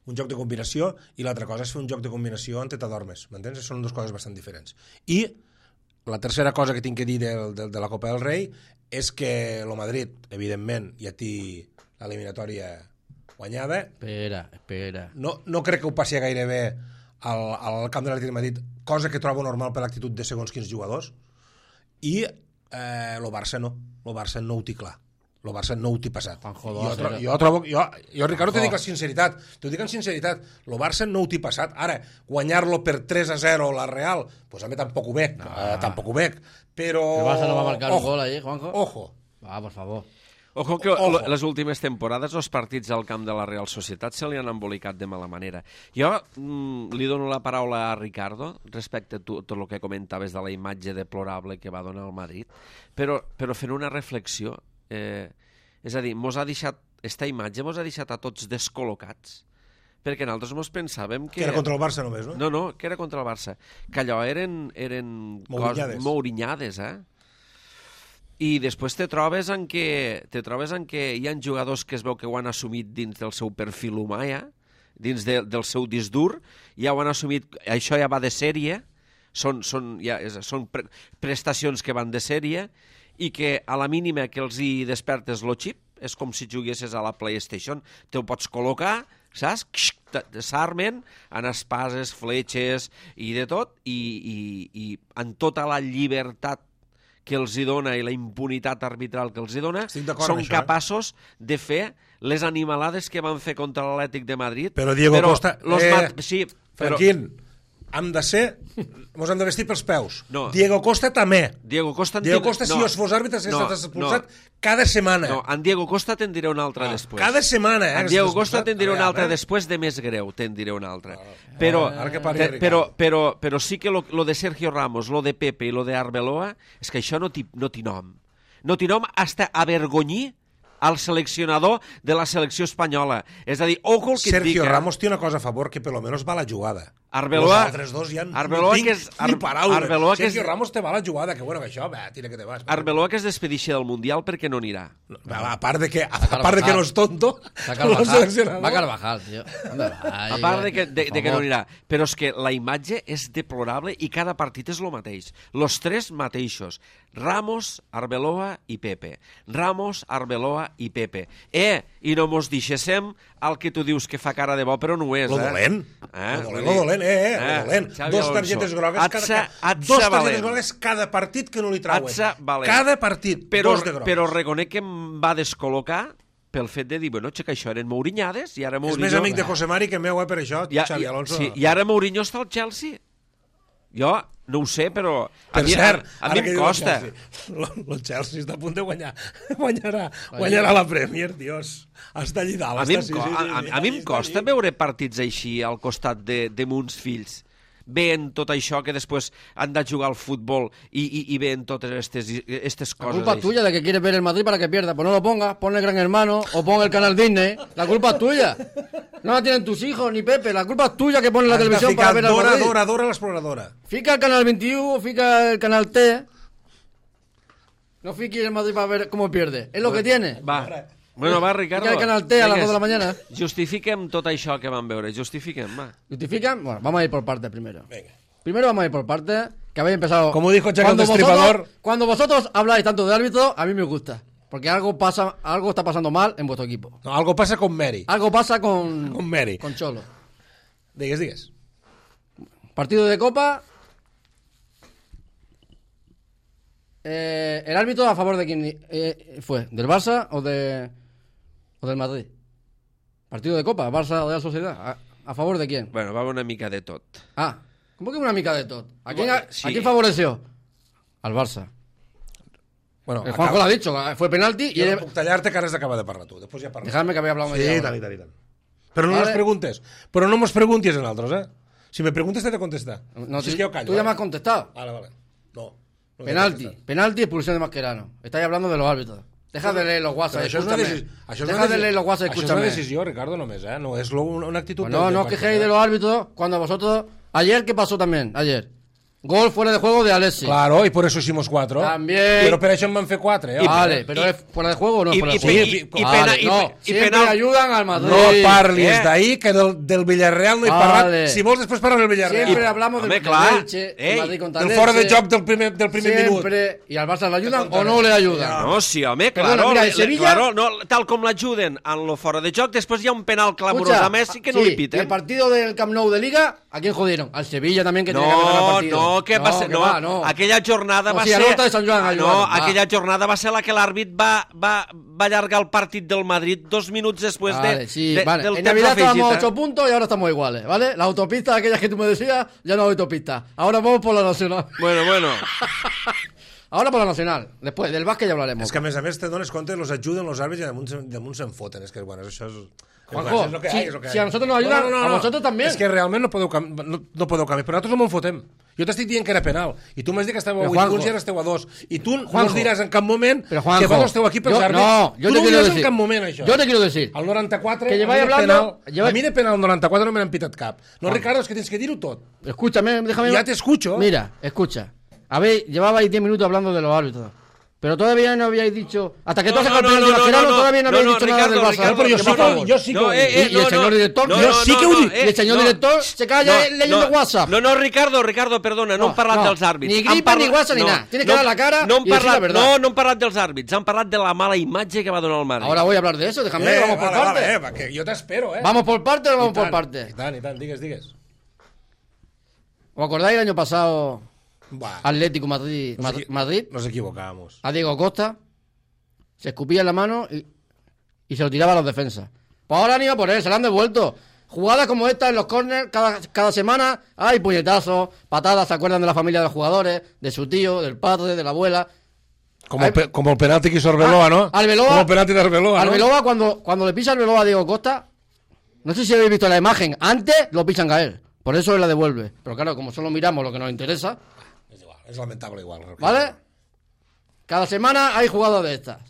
un joc de combinació, i l'altra cosa és fer un joc de combinació on t'adormes, m'entens? Són dues coses bastant diferents. I la tercera cosa que tinc que dir de, de, de la Copa del Rei és que el Madrid, evidentment, ja té l'eliminatòria guanyada. Espera, espera. No, no crec que ho passi gairebé al, al camp de l'Atlètic de Madrid, cosa que trobo normal per l'actitud de segons quins jugadors. I eh, el Barça no. El Barça no ho té clar. El Barça no ho té passat. Juanjo, Jo, dos, tro era- jo trobo... Jo, jo Ricardo, Juanjo. t'ho dic amb sinceritat. T'ho dic amb sinceritat. El Barça no ho té passat. Ara, guanyar-lo per tres a zero la Real, pues a mi tampoc ho veig. Eh, tampoc ho veig. Però... El Barça no va marcar un Ojo, gol ahí, Juanjo. Ojo. Va, por favor. Ojo que Ojo. les últimes temporades els partits al camp de la Real Societat se li han embolicat de mala manera. Jo mm, li dono la paraula a Ricardo respecte a tu, tot el que comentaves de la imatge deplorable que va donar el Madrid, però, però fent una reflexió, eh, és a dir, mos ha deixat, esta imatge mos ha deixat a tots descol·locats, perquè nosaltres mos pensàvem que... Que era contra el Barça només, no? No, no, que era contra el Barça. Que allò eren, eren Mourinyades. cos, mourinyades, eh? I després te trobes en que te trobes en que hi ha jugadors que es veu que ho han assumit dins del seu perfil humà, ja, dins de, del seu disc dur, ja ho han assumit, això ja va de sèrie, són, són, ja, és, són pre prestacions que van de sèrie, i que a la mínima que els hi despertes lo xip, és com si juguessis a la PlayStation, te ho pots col·locar, saps? S'armen en espases, fletxes i de tot, i, i, i en tota la llibertat que els hi dona i la impunitat arbitral que els hi dona, Estic d'acord són amb això, eh? capaços de fer les animalades que van fer contra l'Atlètic de Madrid. Però Diego Costa... Los eh, mat... Sí, però... Franquín, hem de ser... Mos hem de vestir pels peus. No. Diego Costa també. Diego Costa... en Diego tindrà- Costa, si no, jo fos àrbitre, s'ha no, estat expulsat no. cada setmana. No, en Diego Costa te'n diré una altra Ah, després. cada setmana, eh, En que Diego s'ha Costa expulsat. te'n diré A una veure, altra eh? després, de més greu te'n diré una altra. Però, Ara que parli te- Ricardo. però, però, però, però sí que lo, lo de Sergio Ramos, lo de Pepe i lo de Arbeloa, és que això no té no té nom. No té nom hasta avergonyir al seleccionador de la selecció espanyola. És a dir, ojo el que et dic. Sergio eh? Ramos té una cosa a favor, que per lo menos va a la jugada. Arbeloa- Los altres dos ja Arbeloa no tinc que és- ni Ar- paraula. Arbeloa que és- Sergio Ramos te va a la jugada, que bueno, que això, va, tira que te vas. Arbeloa que es despedixi del Mundial perquè no anirà. Va, a part de que, a part de que no és tonto, Va no Carvajal, seleccionador. va Carvajal, tío. ¿Dónde va? A part de que, de, Por de que no favor. anirà. Però és que la imatge és deplorable i cada partit és el mateix. Los tres mateixos. Ramos, Arbeloa i Pepe. Ramos, Arbeloa i Pepe. Eh, i no mos deixéssim el que tu dius que fa cara de bo, però no ho és, Lo eh? dolent. Eh? Lo dolent, lo dolent, eh, eh, lo dolent. Xavi Dos Alonso. targetes grogues Atza, cada, atza dos targetes valent. grogues cada partit que no li trauen. Atza valent. Cada partit, Però, dos de grogues. però reconec que em va descol·locar pel fet de dir, bueno, que això eren Mourinyades i ara És Mourinho... més amic de José Mari que meu, eh, per això, Ja, Xavi ja, Alonso. sí, I ara Mourinho està al Chelsea. Jo no ho sé, però... A Per mi, cert, a, a ara mi que em diu el costa. Chelsea, El Chelsea està a punt de guanyar. Guanyarà, guanyarà la Premier, Dios. Està allí dalt. A mi, em, està, sí, co- sí, sí, a, sí, a, a mi em està costa allí. veure partits així al costat de, de muns fills. Veien tot això que després han de jugar al futbol i, i, i veien totes aquestes estas La coses. culpa es així. tuya de que quieres ver el Madrid para que pierda. Pues no lo pongas, pon el Gran Hermano o pon el canal Disney. La culpa es tuya. No la tienen tus hijos ni Pepe. La culpa es tuya que pones la Has de televisión ficar para ver al Dora, Madrid. Dora, Dora, l'exploradora. Fica el canal veintiuno, fica el canal T. No fiques el Madrid para ver cómo pierde. Es lo que tiene. Va. Bueno, va, Ricardo. Fica el canal T a las Vinga, dos de la mañana. Justifiquem tot això que vam veure. Justifiquem, va. ¿Justifican? Bueno, vamos a ir por partes primero. Venga. Primero vamos a ir por partes, que habéis empezado... Como dijo Chaco el Cuando Destripador. vosotros- Cuando vosotros habláis tanto de árbitro, a mí me gusta. Porque algo pasa, algo está pasando mal en vuestro equipo. No, algo passa con Mary. Algo pasa con... Con Mary. Con Cholo. Digues, digues. Partido de Copa. Eh, ¿El árbitro a favor de quién eh, fue? ¿Del Barça o, de, o del Madrid? Partido de Copa, Barça de la Sociedad. ¿A, a favor de quién? Bueno, va una mica de tot. Ah, ¿cómo que una mica de todo? ¿A quién, Bueno, a, sí. ¿a quién favoreció? Al Barça. Bueno, el Juanjo acaba- lo ha dicho, fue penalti y... Jo él- no puc tallar-te que ara has d'acabar de parlar tu. Després ja parles. Dejadme que había hablado Sí, media i hora. tant, i tant, i tant. Però no Vale. nos preguntes. Però no mos preguntis en altres, eh? Si me preguntes, t'he de contestar. No, si és tú- que jo callo. tú ya eh? me has contestado. Vale, vale. No. no Penalti, contestar. penalti y expulsión de Mascherano. Estáis hablando de los árbitros. Deja de leer los WhatsApp, Però això és una escúchame. decisió. Això és Deja una de leer los WhatsApp, Això és una escúchame. decisió, Ricardo, només, eh? No és lo- una actitud... Pues no, del- no del os partit, quejéis eh? de los árbitros cuando vosotros... Ayer, ¿qué pasó también? Ayer. Gol fuera de juego de Alexis. Claro, y por eso hicimos cuatro. También. Pero per això en van fer quatre, eh? Vale, pero ¿es fuera de juego o no es I- fuera de i- juego? i- i- i Vale, pena- i- no, i siempre penal- ayudan al Madrid. No parlis Eh? d'ahir, que del, del Villarreal no he Vale. parlat. Si vols, després parlem del Villarreal. Siempre hablamos del Home, del clar. Elche, Ei, el Madrid contra Del el fora de Elche. joc del primer, del primer minut. Siempre. ¿Y al Barça le ayudan o no le ayudan? No, sí, home, Perdona, claro, mira, le- el Sevilla- claro, no, tal com l'ajuden en lo fora de joc, després hi ha un penal clamorós Escucha, a Messi que no sí, li y piten. el partido del Camp Nou de Liga, ¿a quién jodieron? Al Sevilla también, que tenía que ganar el No, partido. no, què va ser? que No, va, no. aquella jornada O va sigui, a ser... l'Horta de Sant Joan Ah, ayudaron, no, va. aquella jornada va ser la que l'àrbit va, va, va allargar el partit del Madrid dos minuts després Vale, de, sí, de, vale. del En temps Navidad afegit. estábamos a eh? ocho puntos y ahora estamos iguales, ¿vale? La autopista, aquellas que tú me decías, ya no hay autopista. Ahora vamos por la Nacional. Bueno, bueno. Ahora por la Nacional. Después, del básquet ya hablaremos. És que a més a més te dones compte, los ajuden los àrbits i damunt, se- damunt se'n foten. És que, bueno, això és... Juanjo, és lo que si- hay, és lo que si hay. a nosotros nos ayudan, a vosotros también. És que realment no podeu, cam... no, no podeu canviar, però nosaltres no me'n fotem. Jo t'estic dient que era penal, i tu m'has dit que estàveu a Però, vuit Juanjo, punts i ara esteu a dos. I tu no Juanjo, ens diràs en cap moment Pero Juanjo, que vosaltres esteu aquí pels yo- àrbits. no, yo tu te no ho quiero diràs decir, en cap moment, això. yo te quiero decir, Al noranta-quatre, que a mi lleváis de hablando- penal, lleváis- a mi de penal al noranta-quatre no me n'han pitat cap. No, Ricardo, és que tens que dir-ho tot. escúchame, déjame. Ya te escucho. Mira, escucha. A ver, llevabais diez minutos hablando de los árbitros. Pero todavía no habíais dicho. Hasta que tú No, has sacado no, el penalti no, no, Mascherano, no, todavía no no, habéis no, dicho nada Ricardo, del Barça. Ricardo, Pero yo sí no, que- no, yo sí que no, ho he eh, dit. eh, Y- y el no, señor no, director, no, yo no, sí no, que ho no, dic. eh, Y el señor no. director se calla leyendo WhatsApp. No, no, Ricardo, Ricardo, perdona, no, No, hem parlat no. dels àrbits. Ni Han gripa, parlat- ni WhatsApp, ni nada. Tienes que dar la cara no hem y decir la parlat, verdad. No, no hem parlat dels àrbits, han parlat de la mala imatge que va donar el Madrid. Ahora voy a hablar de eso, déjame, Eh, vamos por vale, partes. vale, eh, va, que jo t'espero, eh. ¿Vamos por partes o vamos I por tant, partes? I tant, i tant, digues, digues. ¿Os acordáis el año pasado Va, Atlético Madrid, Nos Madrid, equi- Madrid nos equivocamos. a Diego Costa? Se escupía en la mano y, y se lo tiraba a los defensas. Pues ahora han ido por él, se lo han devuelto. Jugadas como esta en los corners, cada, cada semana hay puñetazos, patadas, se acuerdan de la familia de los jugadores, de su tío, del padre, de la abuela. Como el, pe- como el penalti que hizo Arbeloa, Ah, ¿no? Arbeloa- Como el penalti de Arbeloa, ¿no? Arbeloa, cuando, cuando le pisa Arbeloa a Diego Costa, no sé si habéis visto la imagen, antes lo pisan caer, por eso él la devuelve. Pero claro, como solo miramos lo que nos interesa, Es igual, es lamentable igual. ¿vale? Cada semana hay jugadas de estas.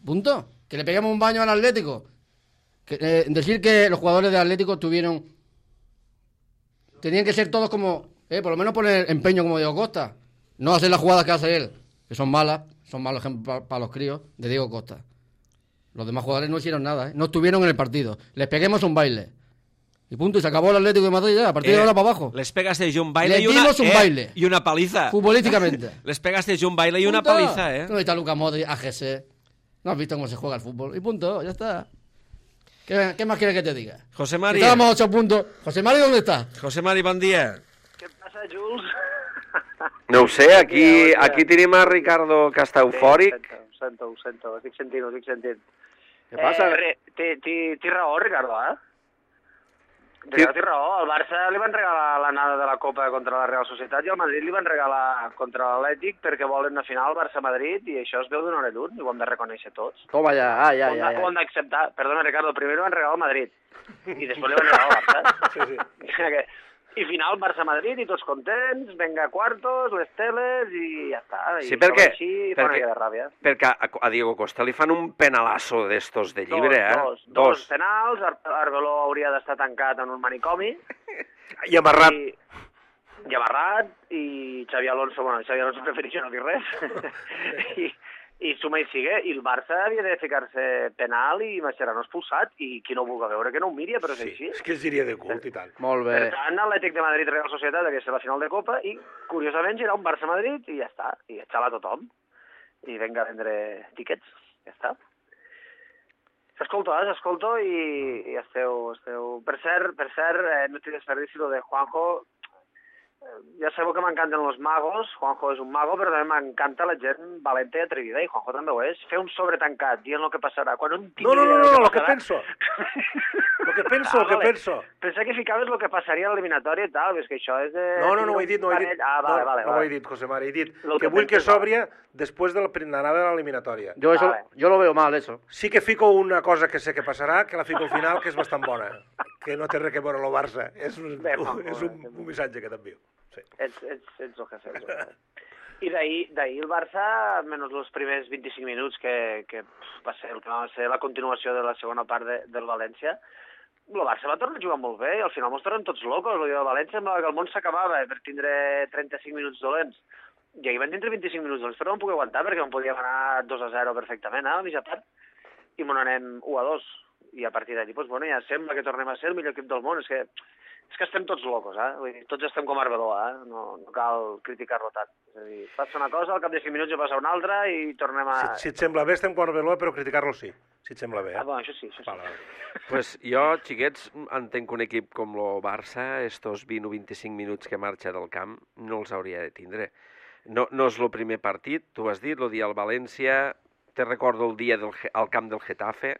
Punto. Que le peguemos un baño al Atlético. Que, eh, decir que los jugadores del Atlético tuvieron... Tenían que ser todos como... Eh, por lo menos poner empeño como Diego Costa. No hacer las jugadas que hace él, que son malas. Son malos ejemplos para los críos de Diego Costa. Los demás jugadores no hicieron nada, ¿eh? No estuvieron en el partido. Les peguemos un baile. Y punto, y se acabó el Atlético de Madrid ya. A partir de ahora para abajo. Les pegas de un baile Le y una, dimos un eh, baile. y una paliza. Futbolísticamente. Les pegas de un baile y una Punto. paliza, eh. No está Luka Modric, A G C. No has visto cómo se juega el fútbol. Y punto, ya está. ¿Qué, qué más quieres que te diga? José Mari, Estábamos a ocho puntos. José Mari, ¿dónde está? José Mari, bon dia. Què passa, Jules? No ho sé, aquí, Bon dia. aquí tenim a Ricardo que està eufòric. Ho sento, ho sento, ho estic sentint, ho estic sentint. Què passa? Eh, re, té, té, té raó, Ricardo, eh? Ricardo té raó. Al Barça li van regalar l'anada de la Copa contra la Real Societat i al Madrid li van regalar contra l'Atlètic perquè volen una final Barça-Madrid i això es veu d'una hora lluny i ho hem de reconèixer tots. Toma ya, ah, ya, Ho hem de- ho hem d'acceptar. Perdona, Ricardo, primer li van regalar al Madrid i després li van regalar al Barça. Sí, sí. I final Barça-Madrid i tots contents, venga quartos, les teles i ja està. I Sí, perquè- això així fa una perquè- mica de ràbia. Perquè a, a Diego Costa li fan un penalazo d'estos de llibre, eh? Dos, dos, dos penals, Ar Arbeloa hauria d'estar tancat en un manicomi. I amarrat. I, i amarrat, i Xavi Alonso, bueno, Xavi Alonso prefereix no dir res. I, i suma i sigue, i el Barça havia de ficar-se penal i Mascherano expulsat, i qui no ho vulgui veure que no ho miri, però és així. És que seria de cult i tant. Molt Per tant, Atlètic de Madrid, Real Societat, aquesta és la final de Copa, i curiosament serà un Barça-Madrid, i ja està, i xala a tothom. I venga a vendre tiquets, ja està. S'escolto, eh? S'escolto i, i esteu, esteu... Per cert, per cert, eh, no t'hi desperdici lo de Juanjo. ja sabeu que m'encanten los magos, Juanjo és un mago, però també m'encanta la gent valenta i atrevida, i Juanjo també ho és. Fer un sobretancat, dient el que passarà, quan no tinc No, no, no, idea no, del lo que passarà. penso. Lo que penso, Ah, lo que vale. penso. Pensava que ficaves el que passaria a l'eliminatòria i tal, és que això és de... No, no, no ho he dit, no ho he dit. Parell- Ah, vale, no, vale, no ho vale. he dit, José Mari. He dit Lo que que vull que penses, s'obria després de la anada de l'eliminatòria. Yo, eso, Vale. yo lo veo mal, eso. Sí que fico una cosa que sé que passarà, que la fico al final, que és bastant bona. Que no té res que veure amb el Barça. És un, Bé, Juanjo, és un, bé. un missatge que t'envio. Sí. Ets, ets, ets el que fes. I d'ahir d'ahir el Barça, menys els primers vint-i-cinc minuts, que, que pf, va ser el que va ser la continuació de la segona part de, del València, el Barça va tornar a jugar molt bé i al final mos tornem tots locos. El del València semblava que el món s'acabava per tindre trenta-cinc minuts dolents. I ahir van tindre vint-i-cinc minuts dolents, però no em puc aguantar perquè em podíem anar dos a zero perfectament, eh, a mitja part, i me n'anem u a dos. I a partir d'allí, doncs, bueno, ja sembla que tornem a ser el millor equip del món. És que És que estem tots locos, eh? Vull dir, tots estem com Arbeló, eh? No, no cal criticar-lo tant. És a dir, passa una cosa, al cap de cinc minuts ja passa una altra i tornem a... Si, si et sembla bé, estem quan Arbeloa, però criticar-lo sí. Si et sembla bé, eh? Ah, bueno, això sí, això sí. Vale, vale. Pues jo, xiquets, entenc que un equip com el Barça, estos vint o vint-i-cinc minuts que marxa del camp, no els hauria de tindre. No, no és el primer partit, tu has dit, el dia al València, te recordo el dia del, al camp del Getafe,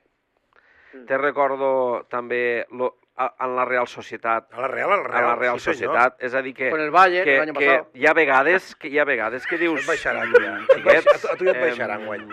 te recordo també lo, a, en la Real Societat, A la Real, a la Real. a la Real sí, senyor. Societat, és a dir que, Con el Bayern, que, el año que pasado. hi ha vegades que hi ha vegades que dius... Et baixaran, "Mm, ja. Et baix- xiquets, a tu- a tu ja et em, baixaran, guany.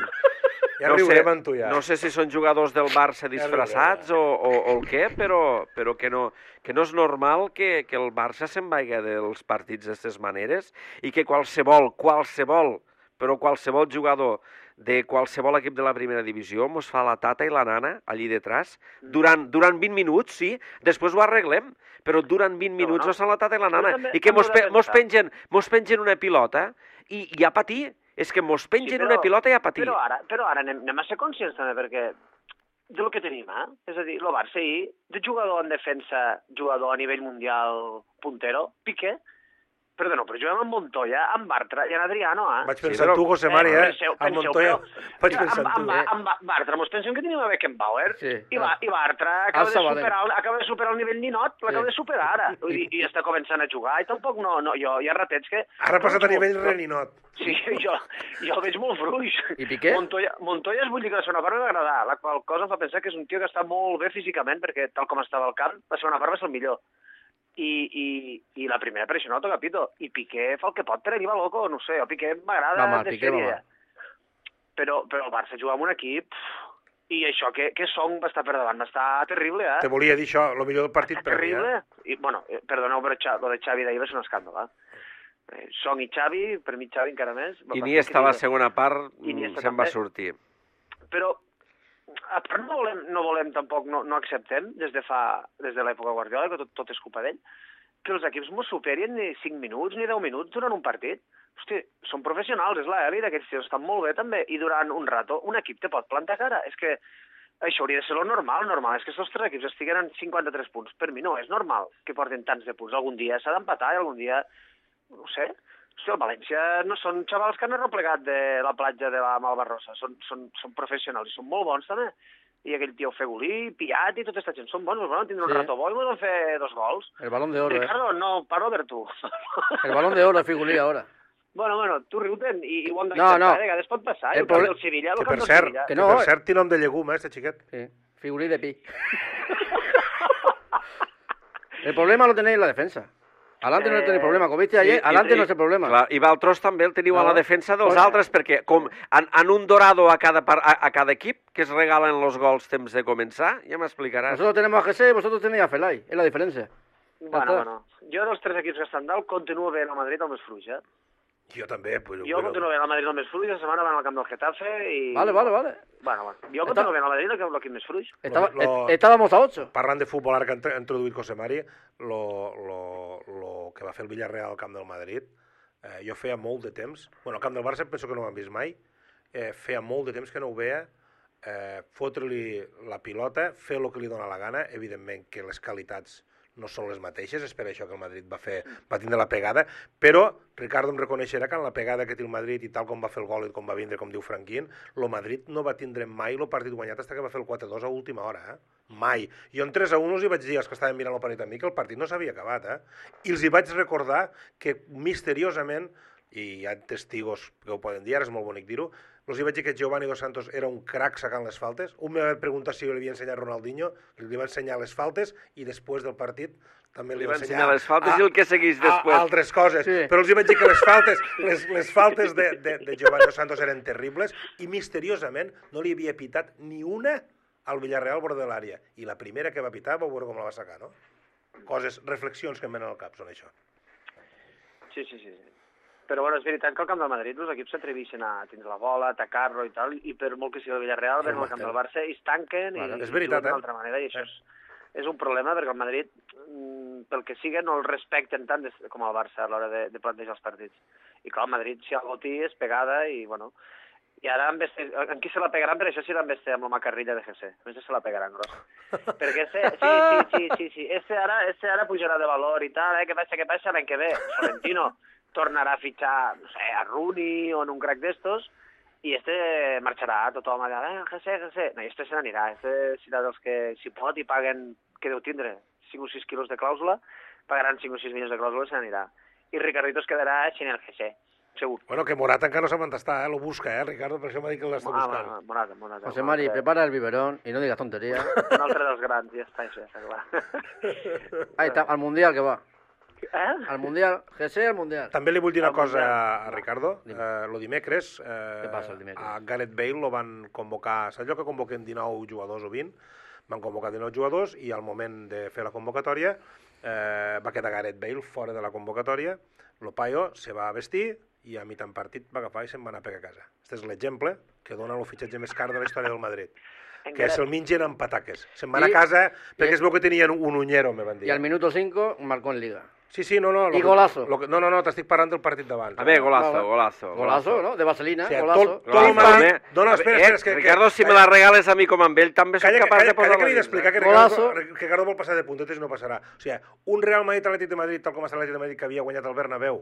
Ja no sé, riurem amb tu, ja. no sé si són jugadors del Barça disfressats o, o, o el què, però, però que, no, que no és normal que, que el Barça se'n vaiga dels partits d'aquestes maneres i que qualsevol, qualsevol, però qualsevol jugador de qualsevol equip de la primera divisió mos fa la tata i la nana allí detrás durant, durant vint minuts, sí, després ho arreglem, però durant vint minuts no. mos fan la tata i la nana també- i que també mos, ho he de pe, mos, pensar. pengen, mos pengen una pilota i, i a patir. És que mos pengen una pilota i a patir. Però ara, però ara anem, anem a ser conscients també, perquè del que tenim, eh? És a dir, el Barça ahir, de jugador en defensa, jugador a nivell mundial puntero, Piqué, perdó, però juguem amb Montoya, amb Bartra i amb Adriano, eh? Vaig Sí, pensar però- en tu, José Mari, eh? Penseu, Amb penseu, Montoya. però- Vaig pensar en amb, tu, amb, eh? amb, amb Bartra, mos pensem que tenim a Beckenbauer, Sí, i, va, i Bartra acaba Al de, Sabadell. superar, el- acaba de superar el nivell ninot, l'acaba Sí. de superar ara, Vull dir, i està començant a jugar, i tampoc no, no jo, hi ha ratets que... Ara ha passat a nivell Però- reninot. Sí, jo, jo el veig molt fluix. I Piqué? Montoya, Montoya es vull dir que la segona part m'ha agradat, la qual cosa em fa pensar que és un tio que està molt bé físicament, perquè tal com estava al camp, la segona part va ser el millor. I, i, i la primera per això no toca pito. I Piqué fa el que pot per arribar loco, no sé, el Piqué m'agrada Va mal, de Piqué va sèrie. mal. Però, però el Barça juga amb un equip i això que, que Song va estar per davant, va estar terrible, eh? Te volia dir això, el millor del partit per mi, Terrible. eh? I, bueno, eh, perdoneu, però Xa- lo de Xavi d'ahir va ser un escàndol, eh? Eh, Song i Xavi, per mi Xavi encara més. va I ser Iniesta a la increïble. segona part Iniesta se'n va també. sortir. Però a part no volem, no volem tampoc, no, no acceptem des de fa, des de l'època Guardiola, que tot, tot és culpa d'ell, que els equips mos superin ni cinc minuts ni deu minuts durant un partit. Hosti, són professionals, és l'elit, aquests tios estan molt bé també, i durant un rato un equip te pot plantar cara. És que això hauria de ser lo normal, normal és que aquests tres equips estiguen en cinquanta-tres punts. Per mi no és normal que portin tants de punts. Algun dia s'ha d'empatar i algun dia, no sé, hosti, el València no són xavals que han arreplegat de la platja de la Malvarrosa, són, són, són professionals i són molt bons també. I aquell tio Fegulí, Piat i tota aquesta gent són bons, però van tindre un Sí. rato bo i van fer dos gols. El balón de oro, eh. Ricardo, no, parlo per tu. El balón de oro, Figulí, ahora. Bueno, bueno, tu riu-te'n i, i ho hem No, d'acceptar, no. de vegades pot passar. El El camp proble- del Sevilla, el Que camp per del cert, Sevilla. que que no, per eh? cert té nom de llegum, eh, este xiquet. Sí. Figulí de pi. El problema lo tenéis en la defensa. Adelante no Eh, tenéis problema. Como viste ayer, I- adelante i- no es el problema. Clar, i Valtros també el teniu a la No. defensa dels Pues- altres, perquè com en, en un dorado a cada, par- a, a cada equip que es regalen los gols temps de començar, ja m'explicaràs. Nosotros tenemos a Jesse y vosotros tenéis a Felay. Es la diferencia. Bueno, està. bueno. Jo dels tres equips que estan dalt continuo veient el Madrid el més fluix, eh? Jo també, però... Jo continuo veient el Madrid el més fluix, la setmana van al camp del Getafe i... Vale, vale, vale. Bueno, bueno. Jo Està- continuo veient el Madrid l'equip més fluix. Estaba- Lo- lo- est- Estábamos a ocho. Parlant de futbol, ara que ha intro- ha introduït José Mari, lo, lo, lo que va fer el Villarreal al camp del Madrid, eh, jo feia molt de temps, bueno, al camp del Barça penso que no ho han vist mai, eh, feia molt de temps que no ho veia, eh, fotre-li la pilota, fer el que li dóna la gana, evidentment que les qualitats no són les mateixes, és per això que el Madrid va fer va tindre la pegada, però Ricardo em reconeixerà que en la pegada que té el Madrid i tal com va fer el gol i com va vindre, com diu Franquín, el Madrid no va tindre mai el partit guanyat fins que va fer el quatre dos a última hora, eh? Mai. Jo en tres a un els hi vaig dir als que estaven mirant el partit amb mi que el partit no s'havia acabat, eh? I els hi vaig recordar que misteriosament, i hi ha testigos que ho poden dir, ara és molt bonic dir-ho, els hi vaig dir que Giovanni Dos Santos era un crac sacant les faltes. Un me va preguntar si jo li havia ensenyat Ronaldinho, li va ensenyar les faltes i després del partit també li, li va va ensenyar, ensenyar les faltes a, i el que seguís després. A, altres coses. Sí. Però els hi vaig dir que les faltes, les, les faltes de, de, de Giovanni Dos Santos eren terribles i misteriosament no li havia pitat ni una al Villarreal bord de l'àrea. I la primera que va pitar vau veure com la va sacar, no? Coses, reflexions que em venen al cap són això. Sí, sí, sí. Però bueno, és veritat que al camp del Madrid els equips s'atreveixen a tindre la bola, a atacar-lo i tal, i per molt que sigui el Villarreal, sí, al camp del Barça i es tanquen bueno, i, és veritat, i juguen d'una eh? altra manera, i això és, és un problema perquè el Madrid, pel que sigui, no el respecten tant des, com el Barça a l'hora de, de plantejar els partits. I clar, el Madrid, si algú té, és pegada i, bueno... I ara amb este, en qui se la pegaran, per això serà amb este, amb la macarrilla de G C. Amb este se la pegaran, grossa. Perquè este, sí, sí, sí, sí, sí. Este ara, este ara pujarà de valor i tal, eh? Què passa, què passa l'any que ve? Florentino tornarà a fitxar, no sé, a Rooney o en un crack d'estos, i este marxarà tothom allà, eh, G C, G C. No, i este se n'anirà. Este serà dels que, si pot, i paguen, què deu tindre? cinc o sis quilos de clàusula, pagaran cinc o sis milions de clàusula i se n'anirà. I Ricardito es quedarà sin el G C. Segur. Bueno, que Morata encara no sap on està, eh? Lo busca, eh, Ricardo? Per això m'ha dit que l'està buscant. Ah, Morata, Morata. José Mari, prepara el biberón y no digas tonterías. Un altre dels grans, ja està, això ja està clar. Ahí está, al Mundial que va. Eh? Al Mundial, G C al Mundial. També li vull dir una Al cosa Mundial. a Ricardo. Eh, lo dimecres, eh, Què passa el dimecres? a Gareth Bale lo van convocar, saps allò que convoquen dinou jugadors o vint? Van convocar dinou jugadors i al moment de fer la convocatòria eh, va quedar Gareth Bale fora de la convocatòria. Lo paio se va vestir i a mitjan partit va agafar i se'n va anar a pegar a casa. Aquest és l'exemple que dona el fitxatge més car de la història del Madrid. Que se'l mengen amb pataques. Se'n van a casa perquè es veu que tenien un uñero, me van dir. Y al minuto cinco marcó en Liga. Sí, sí, no, no. I golazo. Lo que, no, no, no, t'estic parlant del partit d'abans. A ver, golazo, Vale. golazo. Golazo, ¿no? De vaselina, O sigui, golazo. tot, tot el Madrid... No, no, espera, espera, és que... Ricardo, si calla, me la regales a mi com amb ell, també soc Calla, capaç calla, de posar-la. calla que li he d'explicar que Golazo. Ricardo, Ricardo vol passar de puntetes i no passarà. O sigui, un Real Madrid-Atlètic de Madrid, tal com està l'Atlètic de Madrid, que havia guanyat el Bernabéu,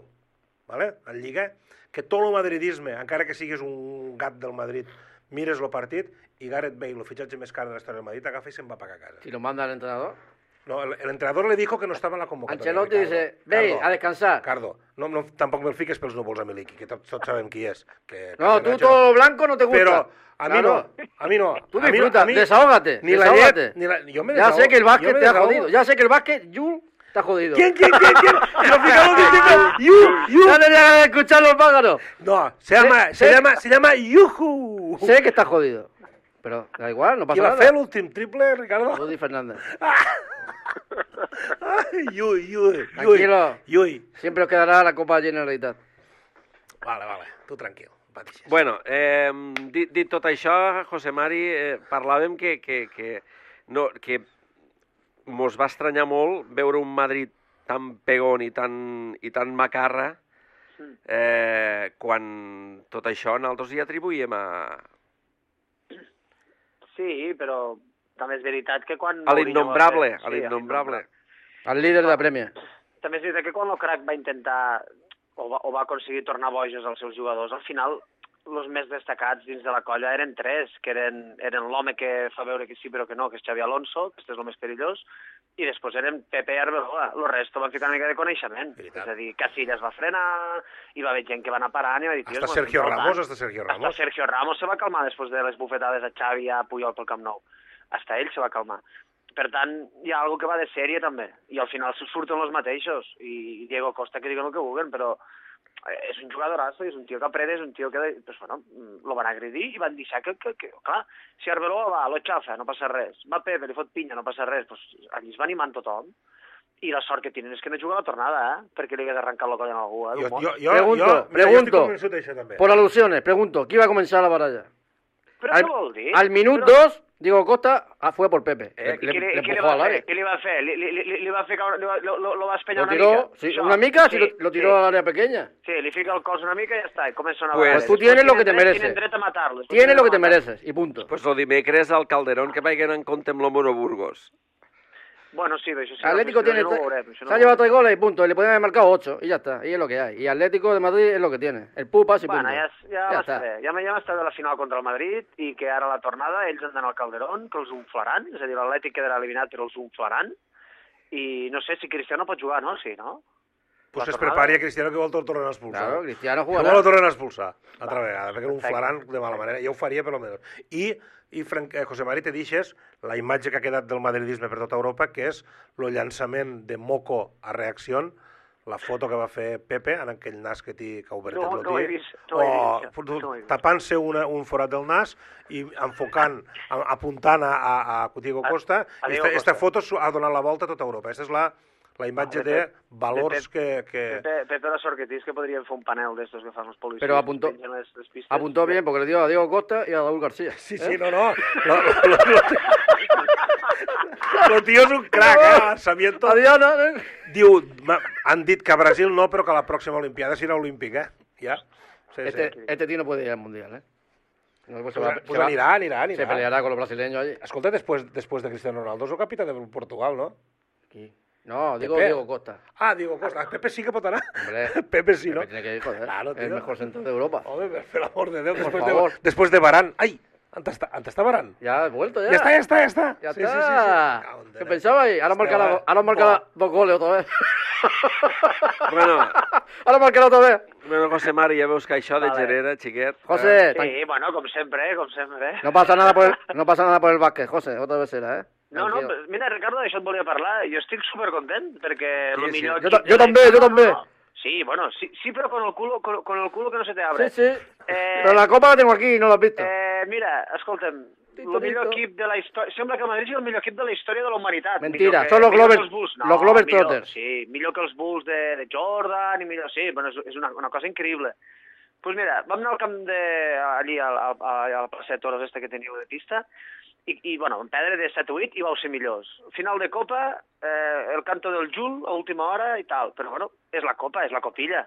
¿vale? En Lliga, que tot el madridisme, encara que siguis un gat del Madrid, mires el partit i Gareth Bale, el fitxatge més car de la història del Madrid, agafa i se'n va pagar a casa. Si lo manda el entrenador. No, el, el entrenador le dijo que no estaba en la convocatoria. Ancelotti Ricardo. dice, ve a descansar. Ricardo, no, no, tampoc me'l fiques pels núvols a Miliki, que tots, tots sabem qui és. Que, No, que tú todo blanco no te gusta. Pero a mí Claro. no, a mí no. Tú a mí no, disfruta, a mí- desahógate, Ni la desahógate. llet, ni la... Yo me Ya desahogo, sé que el yo básquet me te ha desahogo. jodido. Ya sé que el básquet, Jul, te ha jodido. ¿Quién, quién, quién, quién? Lo fijamos diciendo, yu, yu. Ya tenía que escuchar los pájaros. No, se llama, Sí, se sí. llama, se llama Yuhu. Sé que estás jodido. Pero da igual, no Qui pasa va nada. fer l'últim triple, Ricardo? Rudy Fernández. Ai, Yui, Yui, Tranquilo. Yui. Siempre os quedará la Copa Generalitat. Vale, vale, tu tranquil. Patixes. Bueno, eh, dit, dit tot això, José Mari, eh, parlàvem que, que, que, no, que mos va estranyar molt veure un Madrid tan pegón i tan, i tan macarra eh, quan tot això nosaltres hi atribuïm a, Sí, però també és veritat que quan... a l'innombrable, Mourinho va fer- a l'innombrable. Al líder de la Premier. També és veritat que quan el crack va intentar o va, o va aconseguir tornar bojos als seus jugadors, al final els més destacats dins de la colla eren tres, que eren, eren l'home que fa veure que sí però que no, que és Xavi Alonso, que este és el més perillós, i després eren Pepe i Arbeloa. El resto van ficar una mica de coneixement. Veritat. És a dir, Casillas va frenar, hi va haver gent que va anar parant i va dir... "Tios, Hasta mos Sergio estem Ramos, saltant". hasta Sergio Hasta Ramos. Sergio Ramos se va calmar després de les bufetades a Xavi i a Puyol pel Camp Nou. Hasta ell se va calmar. Per tant, hi ha algo que va de sèrie també, i al final surten els mateixos, i Diego Costa que diguen el que vulguen, però és un jugadorazo, és un tio que aprende, és un tio que, pues, bueno, lo van agredir i van deixar que, que, que clar, si Arbeloa va, lo xafa, no passa res, va Pepe, li fot pinya, no passa res, pues, allí es va animant tothom, i la sort que tenen és que no juga la tornada, eh? Perquè li hagués arrencat la colla a algú, eh? Jo, d'un jo, món. jo, Pregunto, jo, mira, jo pregunto. estic convençut d'això també. Por alusiones, pregunto, ¿qué iba a comenzar la batalla? Però Al, què vol dir? al minuto Però- dos, Diego Costa ah, fue por Pepe. Eh, le, Què li, le què li empujó va al fer? área. Què li va fer? Li, li, li, li va fer caure, li va, lo, lo, lo va espanyar Lo una tiró, mica? sí, Això? una mica, sí, lo, lo tiró sí. al área pequeña. Sí, li fica el cos una mica i ja està, i comença una Pues vegada. tú tienes Després lo que te tenen dret- mereces. Tenen dret a matar-lo. després Tienes tenen lo que dret te a matar-lo. mereces, y punto. Pues el dimecres al Calderón que vagin en compte amb l'Homo Burgos. Bueno, sí, eso sí. Atlético no, tiene... no veurem, se no ha llevado tres goles y punto. Y le pueden haber marcado ocho. Y ya está. Y es lo que hay. Y Atlético de Madrid es lo que tiene. El pupas y bueno, punto. ja, ja, ja està bé. Ja, ja m'està bé la final contra el Madrid i que ara la tornada ells han d'anar al Calderón, que els unflaran, és a dir, l'Atlètic quedarà eliminat però els unflaran. I no sé si Cristiano pot jugar, no? Sí, no? Pues es prepari a Cristiano que vol el tornen a expulsar. Claro, Cristiano Que jugarà. vol el tornen a expulsar, altra vegada, perquè un flaran de mala manera. Jo ho faria, per almenys. I, i Frank, eh, José Mari, te deixes la imatge que ha quedat del madridisme per tota Europa, que és el llançament de Moco a reacció, la foto que va fer Pepe, en aquell nas que té que ha obert No, el no ho he dia, vist, no ho he vist, o no ho he vist. tapant-se una- un forat del nas i enfocant, a- apuntant a, a, a Diego A- Costa. a I Diego esta, esta Costa. foto su- ha donat la volta a tota Europa. Aquesta és la, la imatge Vale, de Pep- valors Pep- que... que... Pepe, Pepe la sort que tens que podríem fer un panel d'estos que fan els policies. Pero apuntó- que pengen les, les pistes. Apuntó bien porque le dio a Diego Costa y a Raúl García. Sí, sí, no, no. Lo, lo, lo, lo, lo tío és un crack, eh? Lanzamiento. A Diana, ¿eh? Diu, ma- han dit que a Brasil no, però que a la pròxima Olimpiada serà olímpic, eh? Ja. Sí, Este, sí. este tío no puede ir al mundial, ¿eh? No, pues se Pues, va- pues se va- anirà, anirà, anirà. Se peleará con los brasileños allí. Escolta, després, després de Cristiano Ronaldo és el capità de Portugal, no? Aquí. No, digo Pepe. Diego Costa. Ah, Diego Costa. Ah, Pepe sí que pot anar. Hombre. Pepe sí, no? Pepe tiene que ir, joder. Claro, el tío. mejor centro de Europa. Home, per, per l'amor de Déu, Por després favor. de, després de Varane. Ai, on està, on està Varane? Ya ha vuelto, ya. Ja està, ja està, ja està. Ya sí, está. Sí, sí, sí. Cago en ¿Qué Déu. pensabais? Ahora marca, la, ahora marca la- dos goles otra vez. Bueno, Ahora marca otra vez. bueno, José Mari, ja veus que això de Vale. genera, xiquet. José, Sí, tan- bueno, com sempre, eh, com sempre. Eh? no pasa nada por el, no pasa nada por el básquet, José. Otra vez será, ¿eh? No, no, Tranquilo. mira, Ricardo, d'això et volia parlar. Jo estic supercontent, perquè Sí, el sí. millor... Jo equip ta- jo de la també, història- jo també. No, no. Sí, bueno, sí, sí, però con el culo, con, con el culo que no se te abre. Sí, sí. Eh, Pero la copa la tengo aquí, no la has visto. Eh, mira, escolta'm, Tito, el millor Tito. equip de la història... Sembla que el Madrid sigui el millor equip de la història de la humanitat. Mentira, Millor que- són los millor Glover- que els Bulls. No, los Glover millor, Trotters. Sí, millor que els Bulls de, de Jordan i millor... Sí, bueno, és, és una, una cosa increïble. Doncs pues mira, vam anar al camp de... allí al, al, al, al passeig Toros este que teniu de pista i, i bueno, vam perdre de set a vuit i vau ser millors. Final de Copa, eh, el canto del Jul a última hora i tal, però bueno, és la Copa, és la copilla.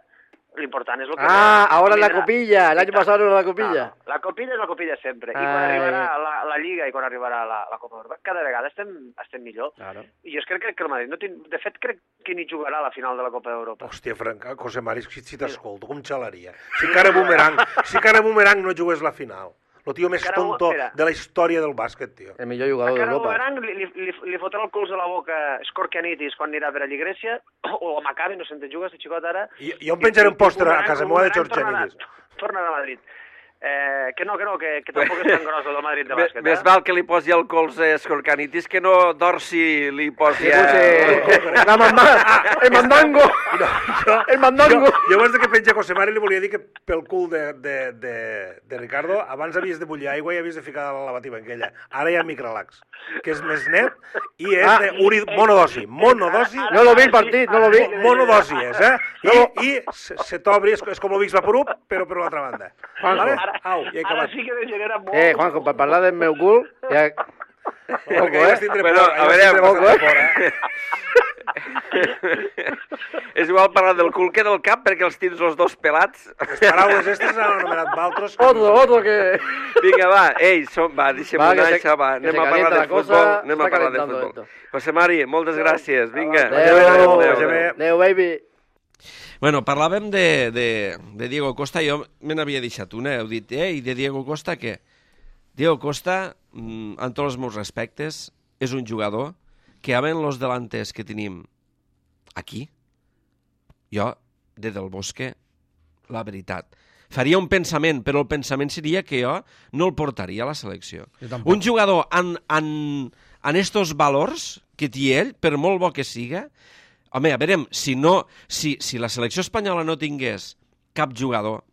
L'important és el que... Ah, ahora es la vindrà. copilla. El año I tal. pasado era la copilla. No, no. La copilla és la copilla sempre. I quan Ai. arribarà la, la Lliga i quan arribarà la, la Copa d'Europa, cada vegada estem, estem millor. Claro. I jo crec que el Madrid, no tin... de fet, crec que ni jugarà a la final de la Copa d'Europa. Hòstia, Franca, José Mari, si, si t'escolto, com xalaria. Si cara Boomerang, si cara Boomerang no jugués la final. El tio més Encara- tonto espera. de la història del bàsquet, tio. El millor jugador Encara d'Europa. Boomerang li, li, li, li fotrà el cols a la boca Scorchianitis quan anirà per allí a Grècia, o a Maccabi, no sé on te jugues, de xicot ara. I, jo em penjaré un pòster a Boomerang- casa meva de Boomerang Georgianitis. tornarà- Tornarà a Madrid. Eh, que no, que no, que, que tampoc és tan gros el del Madrid de bàsquet. Més eh? val que li posi el colze a Scorcanitis que no Dorsi li posi Le a... puse la mamá, el mandango, el mandango. Jo, jo abans de que penja José Mari li volia dir que pel cul de, de, de, de Ricardo abans havies de bullir aigua i havies de ficar la lavativa aquella. Ara hi ha microlax, que és més net i és Ah. de uri, monodosi. Monodosi. No lo vi el partit, no lo vi. Monodosi és, eh? I, i se, se t'obri, és, és com el Vicks Vaporub, però per l'altra banda. Juanjo. Vale? Ara, Au, ja he ara acabat. sí que degenera molt. Eh, Juanjo, per parlar del meu cul, ja... No, que ahir vas tindre Bueno, por, a ahir vas veure, tindre poco, bastanta por, eh? eh? És igual parlar del cul que del cap, perquè els tens els dos pelats. Les paraules aquestes han anomenat Valtros. Otro, otro que... Vinga, va, ei, som, va, deixem Va, una que se- això, va, que anem se a parlar calienta de la cosa, futbol, anem a està parlar de calentando futbol. esto. José Mari, moltes gràcies, vinga. Adéu, Adéu, adéu, vagi bé. adéu, baby. Bueno, parlàvem de, de, de Diego Costa, jo me n'havia deixat una, heu dit, eh, i de Diego Costa què? Diego Costa, mm, amb tots els meus respectes, és un jugador que havent los delanters que tenim aquí, jo, de Del Bosque, la veritat, faria un pensament, però el pensament seria que jo no el portaria a la selecció. Jo tampoc. Un jugador en, en, en estos valors que té ell, per molt bo que siga, home, a veure, si, no, si, si la selecció espanyola no tingués cap jugador,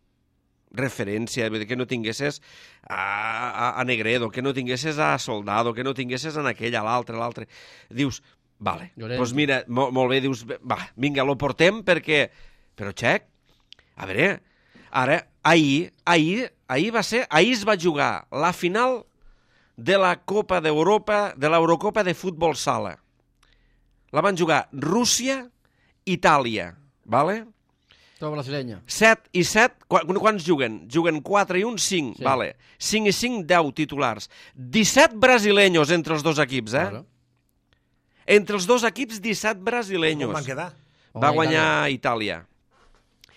referència, vull dir, que no tinguessis a, a, a Negredo, que no tinguessis a Soldado, que no tinguessis en aquell, a l'altre, a l'altre. Dius, vale, doncs pues mira, mo, molt bé, dius, va, vinga, lo portem perquè... Però, Xec, a veure, ara, ahir, ahir, ahir va ser, ahir es va jugar la final de la Copa d'Europa, de l'Eurocopa de futbol sala. La van jugar Rússia, Itàlia, vale? Todo brasileño. set i set, quants juguen? Juguen quatre i un, cinc, Sí. vale. cinc i cinc, deu titulars. disset brasileños entre els dos equips, eh? Claro. entre els dos equips disset brasileños. Com van quedar? Va guanyar Itàlia.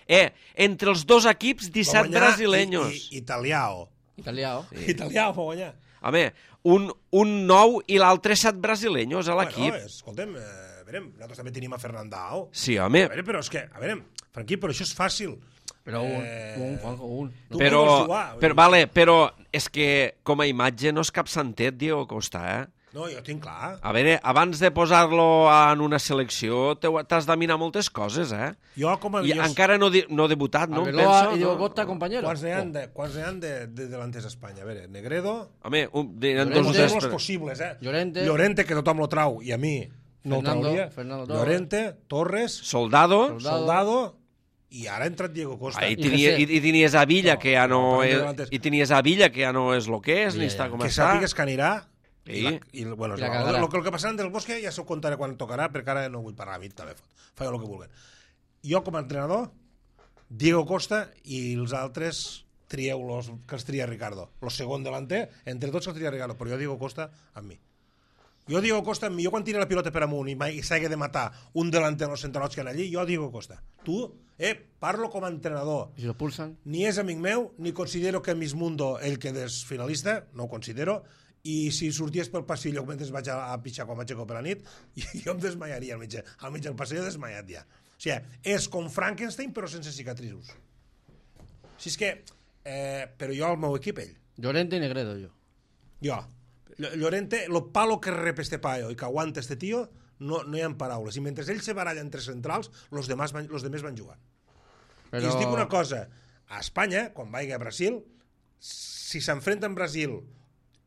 Eh, entre els dos equips disset brasileños. I, i, italiao. Italiao. Sí. Italiao va guanyar. Home, un, un nou i l'altre set brasileños a l'equip. Bueno, escoltem, eh, a veure, nosaltres també tenim a Fernandao. Sí, home. A veure, però és que, a veure, Franqui, però això és fàcil. Però un, Eh, un, Juanjo, un. Tu Però, vols jugar? però, vale, però és que com a imatge no és cap santet, Diego Costa, eh? No, jo tinc clar. A veure, abans de posar-lo en una selecció t'heu- t'has de mirar moltes coses, eh? Jo com a... I jo, encara no, di- no ha debutat, no? em Arbeloa penso, i Diego no? Costa, compañero. Quants n'hi ha de, quants n'hi ha de, de delanters a Espanya? A veure, Negredo... Home, un, de, en Llorente, dos o Tots tres... els però- possibles, eh? Llorente. Llorente, que tothom lo trau, i a mi no Fernando, el trauria. Fernando Torres. Llorente, Torres, Soldado. Soldado. Soldado, i ara ha entrat Diego Costa. Ah, i, I tenia, José. i, I tenies a Villa, No, que ja no, no, és... antes. I tenies a Villa, que ja no és lo que és, ni Ja, està ja. com Que està. sàpigues que anirà... Sí. I, la, i bueno, I la el, cagarà. el, el que passaran del Bosque ja s'ho contaré quan tocarà, perquè ara no vull parlar a mi, també feia el que vulguen. Jo, com a entrenador, Diego Costa i els altres trieu los, que els tria Ricardo. El segon delanter, entre tots els tria Ricardo, però jo Diego Costa amb mi. Jo Diego Costa amb mi, jo quan tira la pilota per amunt i, i s'hagi de matar un delanter en els centralots que han allí, jo Diego Costa. Tu, eh, parlo com a entrenador. I si lo pulsan? Ni és amic meu, ni considero que Miss Mundo ell quedés finalista, no ho considero, i si sorties pel passillo mentre vaig a, a pitjar quan vaig a per la nit, jo em desmaiaria al mig, al mig del passillo desmaiat ja. O sigui, és com Frankenstein però sense cicatrius. Si és que, eh, però jo al meu equip ell, Llorente y Negredo, yo. jo, Ll- Llorente, lo palo que rep este paio i que aguanta este tio, no, no hi ha paraules. I mentre ell se baralla entre centrals, los demás van, los demés van jugant. Pero... I us dic una cosa, a Espanya, quan vagi a Brasil, si s'enfrenten Brasil,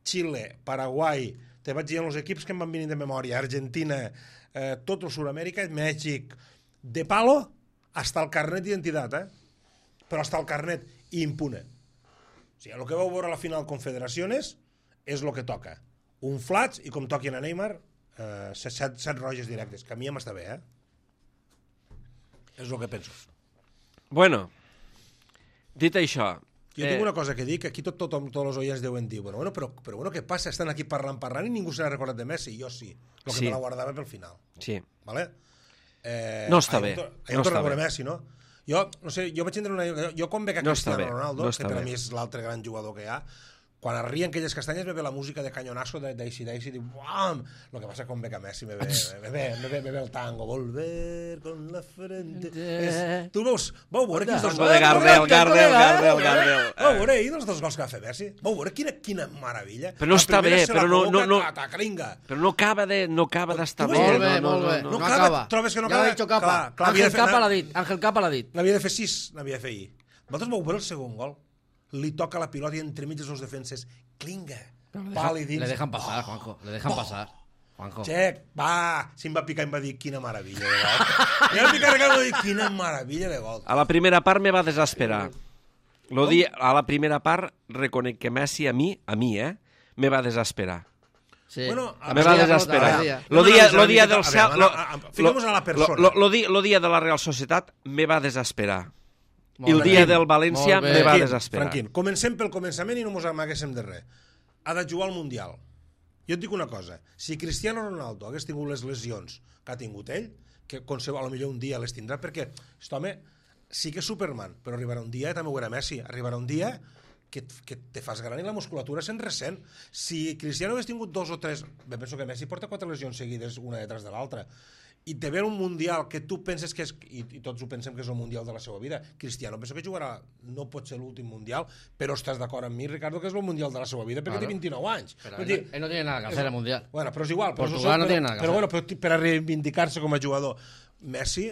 Xile, Paraguai, te vaig dir els equips que em van venir de memòria, Argentina, eh, tot el Sud-amèrica, Mèxic, de palo, hasta el carnet d'identitat, eh? Però hasta el carnet, impune. O sigui, el que vau veure a la final Confederaciones és el que toca. Un flats i com toquin a Neymar, eh, set, set, set roges directes, que a mi ja m'està bé, eh? És el que penso. Bueno, dit això... Jo tinc una cosa que dir, que aquí tot, tothom, tots els oients deuen dir, bueno, bueno, però, però bueno, què passa? Estan aquí parlant, parlant i ningú se n'ha recordat de Messi. Jo sí, el que Sí. me la guardava pel final. Sí. Vale? Eh, No està ahir bé, em to- ahir no em torna està a veure bé. Messi, no? Jo, no sé, jo vaig tindre una... Jo quan veig a No està Cristiano bé, Ronaldo, no que està per a bé. mi és l'altre gran jugador que hi ha, quan arrien aquelles castanyes me ve la música de Cañonazo de Daisy Daisy i diu, buam! Lo que passa quan veig a Messi me ve, me ve, me ve, me ve el tango, volver con la frente... És, tu veus, vau veure quins dos Tango de Gardel, Gardel, Gardel, Gardel. Vau veure ahir els dos gols que va fer Messi? Vau veure quina, quina meravella? Però no La està primera bé, se la però no- col·loca, no- no- ta, ta, cringa. Però no acaba de no acaba d'estar Tu bé. vols- Molt bé, no, molt bé. no, no No, acaba, acaba. trobes que no ya acaba? lo ha dicho Capa. Clar, clar, havia Ángel de fer- Capa l'ha dit. Ángel Capa l'ha dit. N'havia de fer sis, n'havia de fer ahir. Vosaltres vau veure el segon gol? Li toca la pilota i entremig dels dos defenses. Clinga. Pal i dins. Le dejan pasar, Juanjo. Le dejan Oh. pasar. Juanjo. Xec, va. Si em va picar, em va dir quina meravella de gol. I em va picar, em va dir quina meravella de gol. A la primera part me va desesperar. Lo di, a la primera part reconec que Messi a mi, a mi, eh, me va desesperar. Sí. Bueno, a Me ver, va a ver, desesperar. a ver. Lo No dia, analitzar lo una dia miqueta- del a cel... veure, Lo, a- a- fiquem-nos en la persona. Lo, lo, di, lo dia de la Real Societat me va desesperar. Molt I el bé. dia del València Molt bé. me va Tranquil, desesperar. Tranquil, comencem pel començament i no mos amaguéssim de res. Ha de jugar al Mundial. Jo et dic una cosa, si Cristiano Ronaldo hagués tingut les lesions que ha tingut ell, que concebo, a lo millor un dia les tindrà, perquè aquest home sí que és Superman, però arribarà un dia, també ho era Messi, arribarà un dia que, que te fas gran i la musculatura se'n ressent. Si Cristiano hagués tingut dos o tres, bé, penso que Messi porta quatre lesions seguides una detrás de l'altra, i te ve un Mundial que tu penses que és, i, i tots ho pensem que és el Mundial de la seva vida, Cristiano penso que jugarà, no pot ser l'últim Mundial, però estàs d'acord amb mi, Ricardo, que és el Mundial de la seva vida, perquè Claro. té vint-i-nou anys. Pero Vull él, dir, no, él no tiene nada que hacer en el Mundial. bueno, però és igual. Però, Portugal no però, tiene nada que però, hacer. bueno, però per a reivindicar-se com a jugador. Messi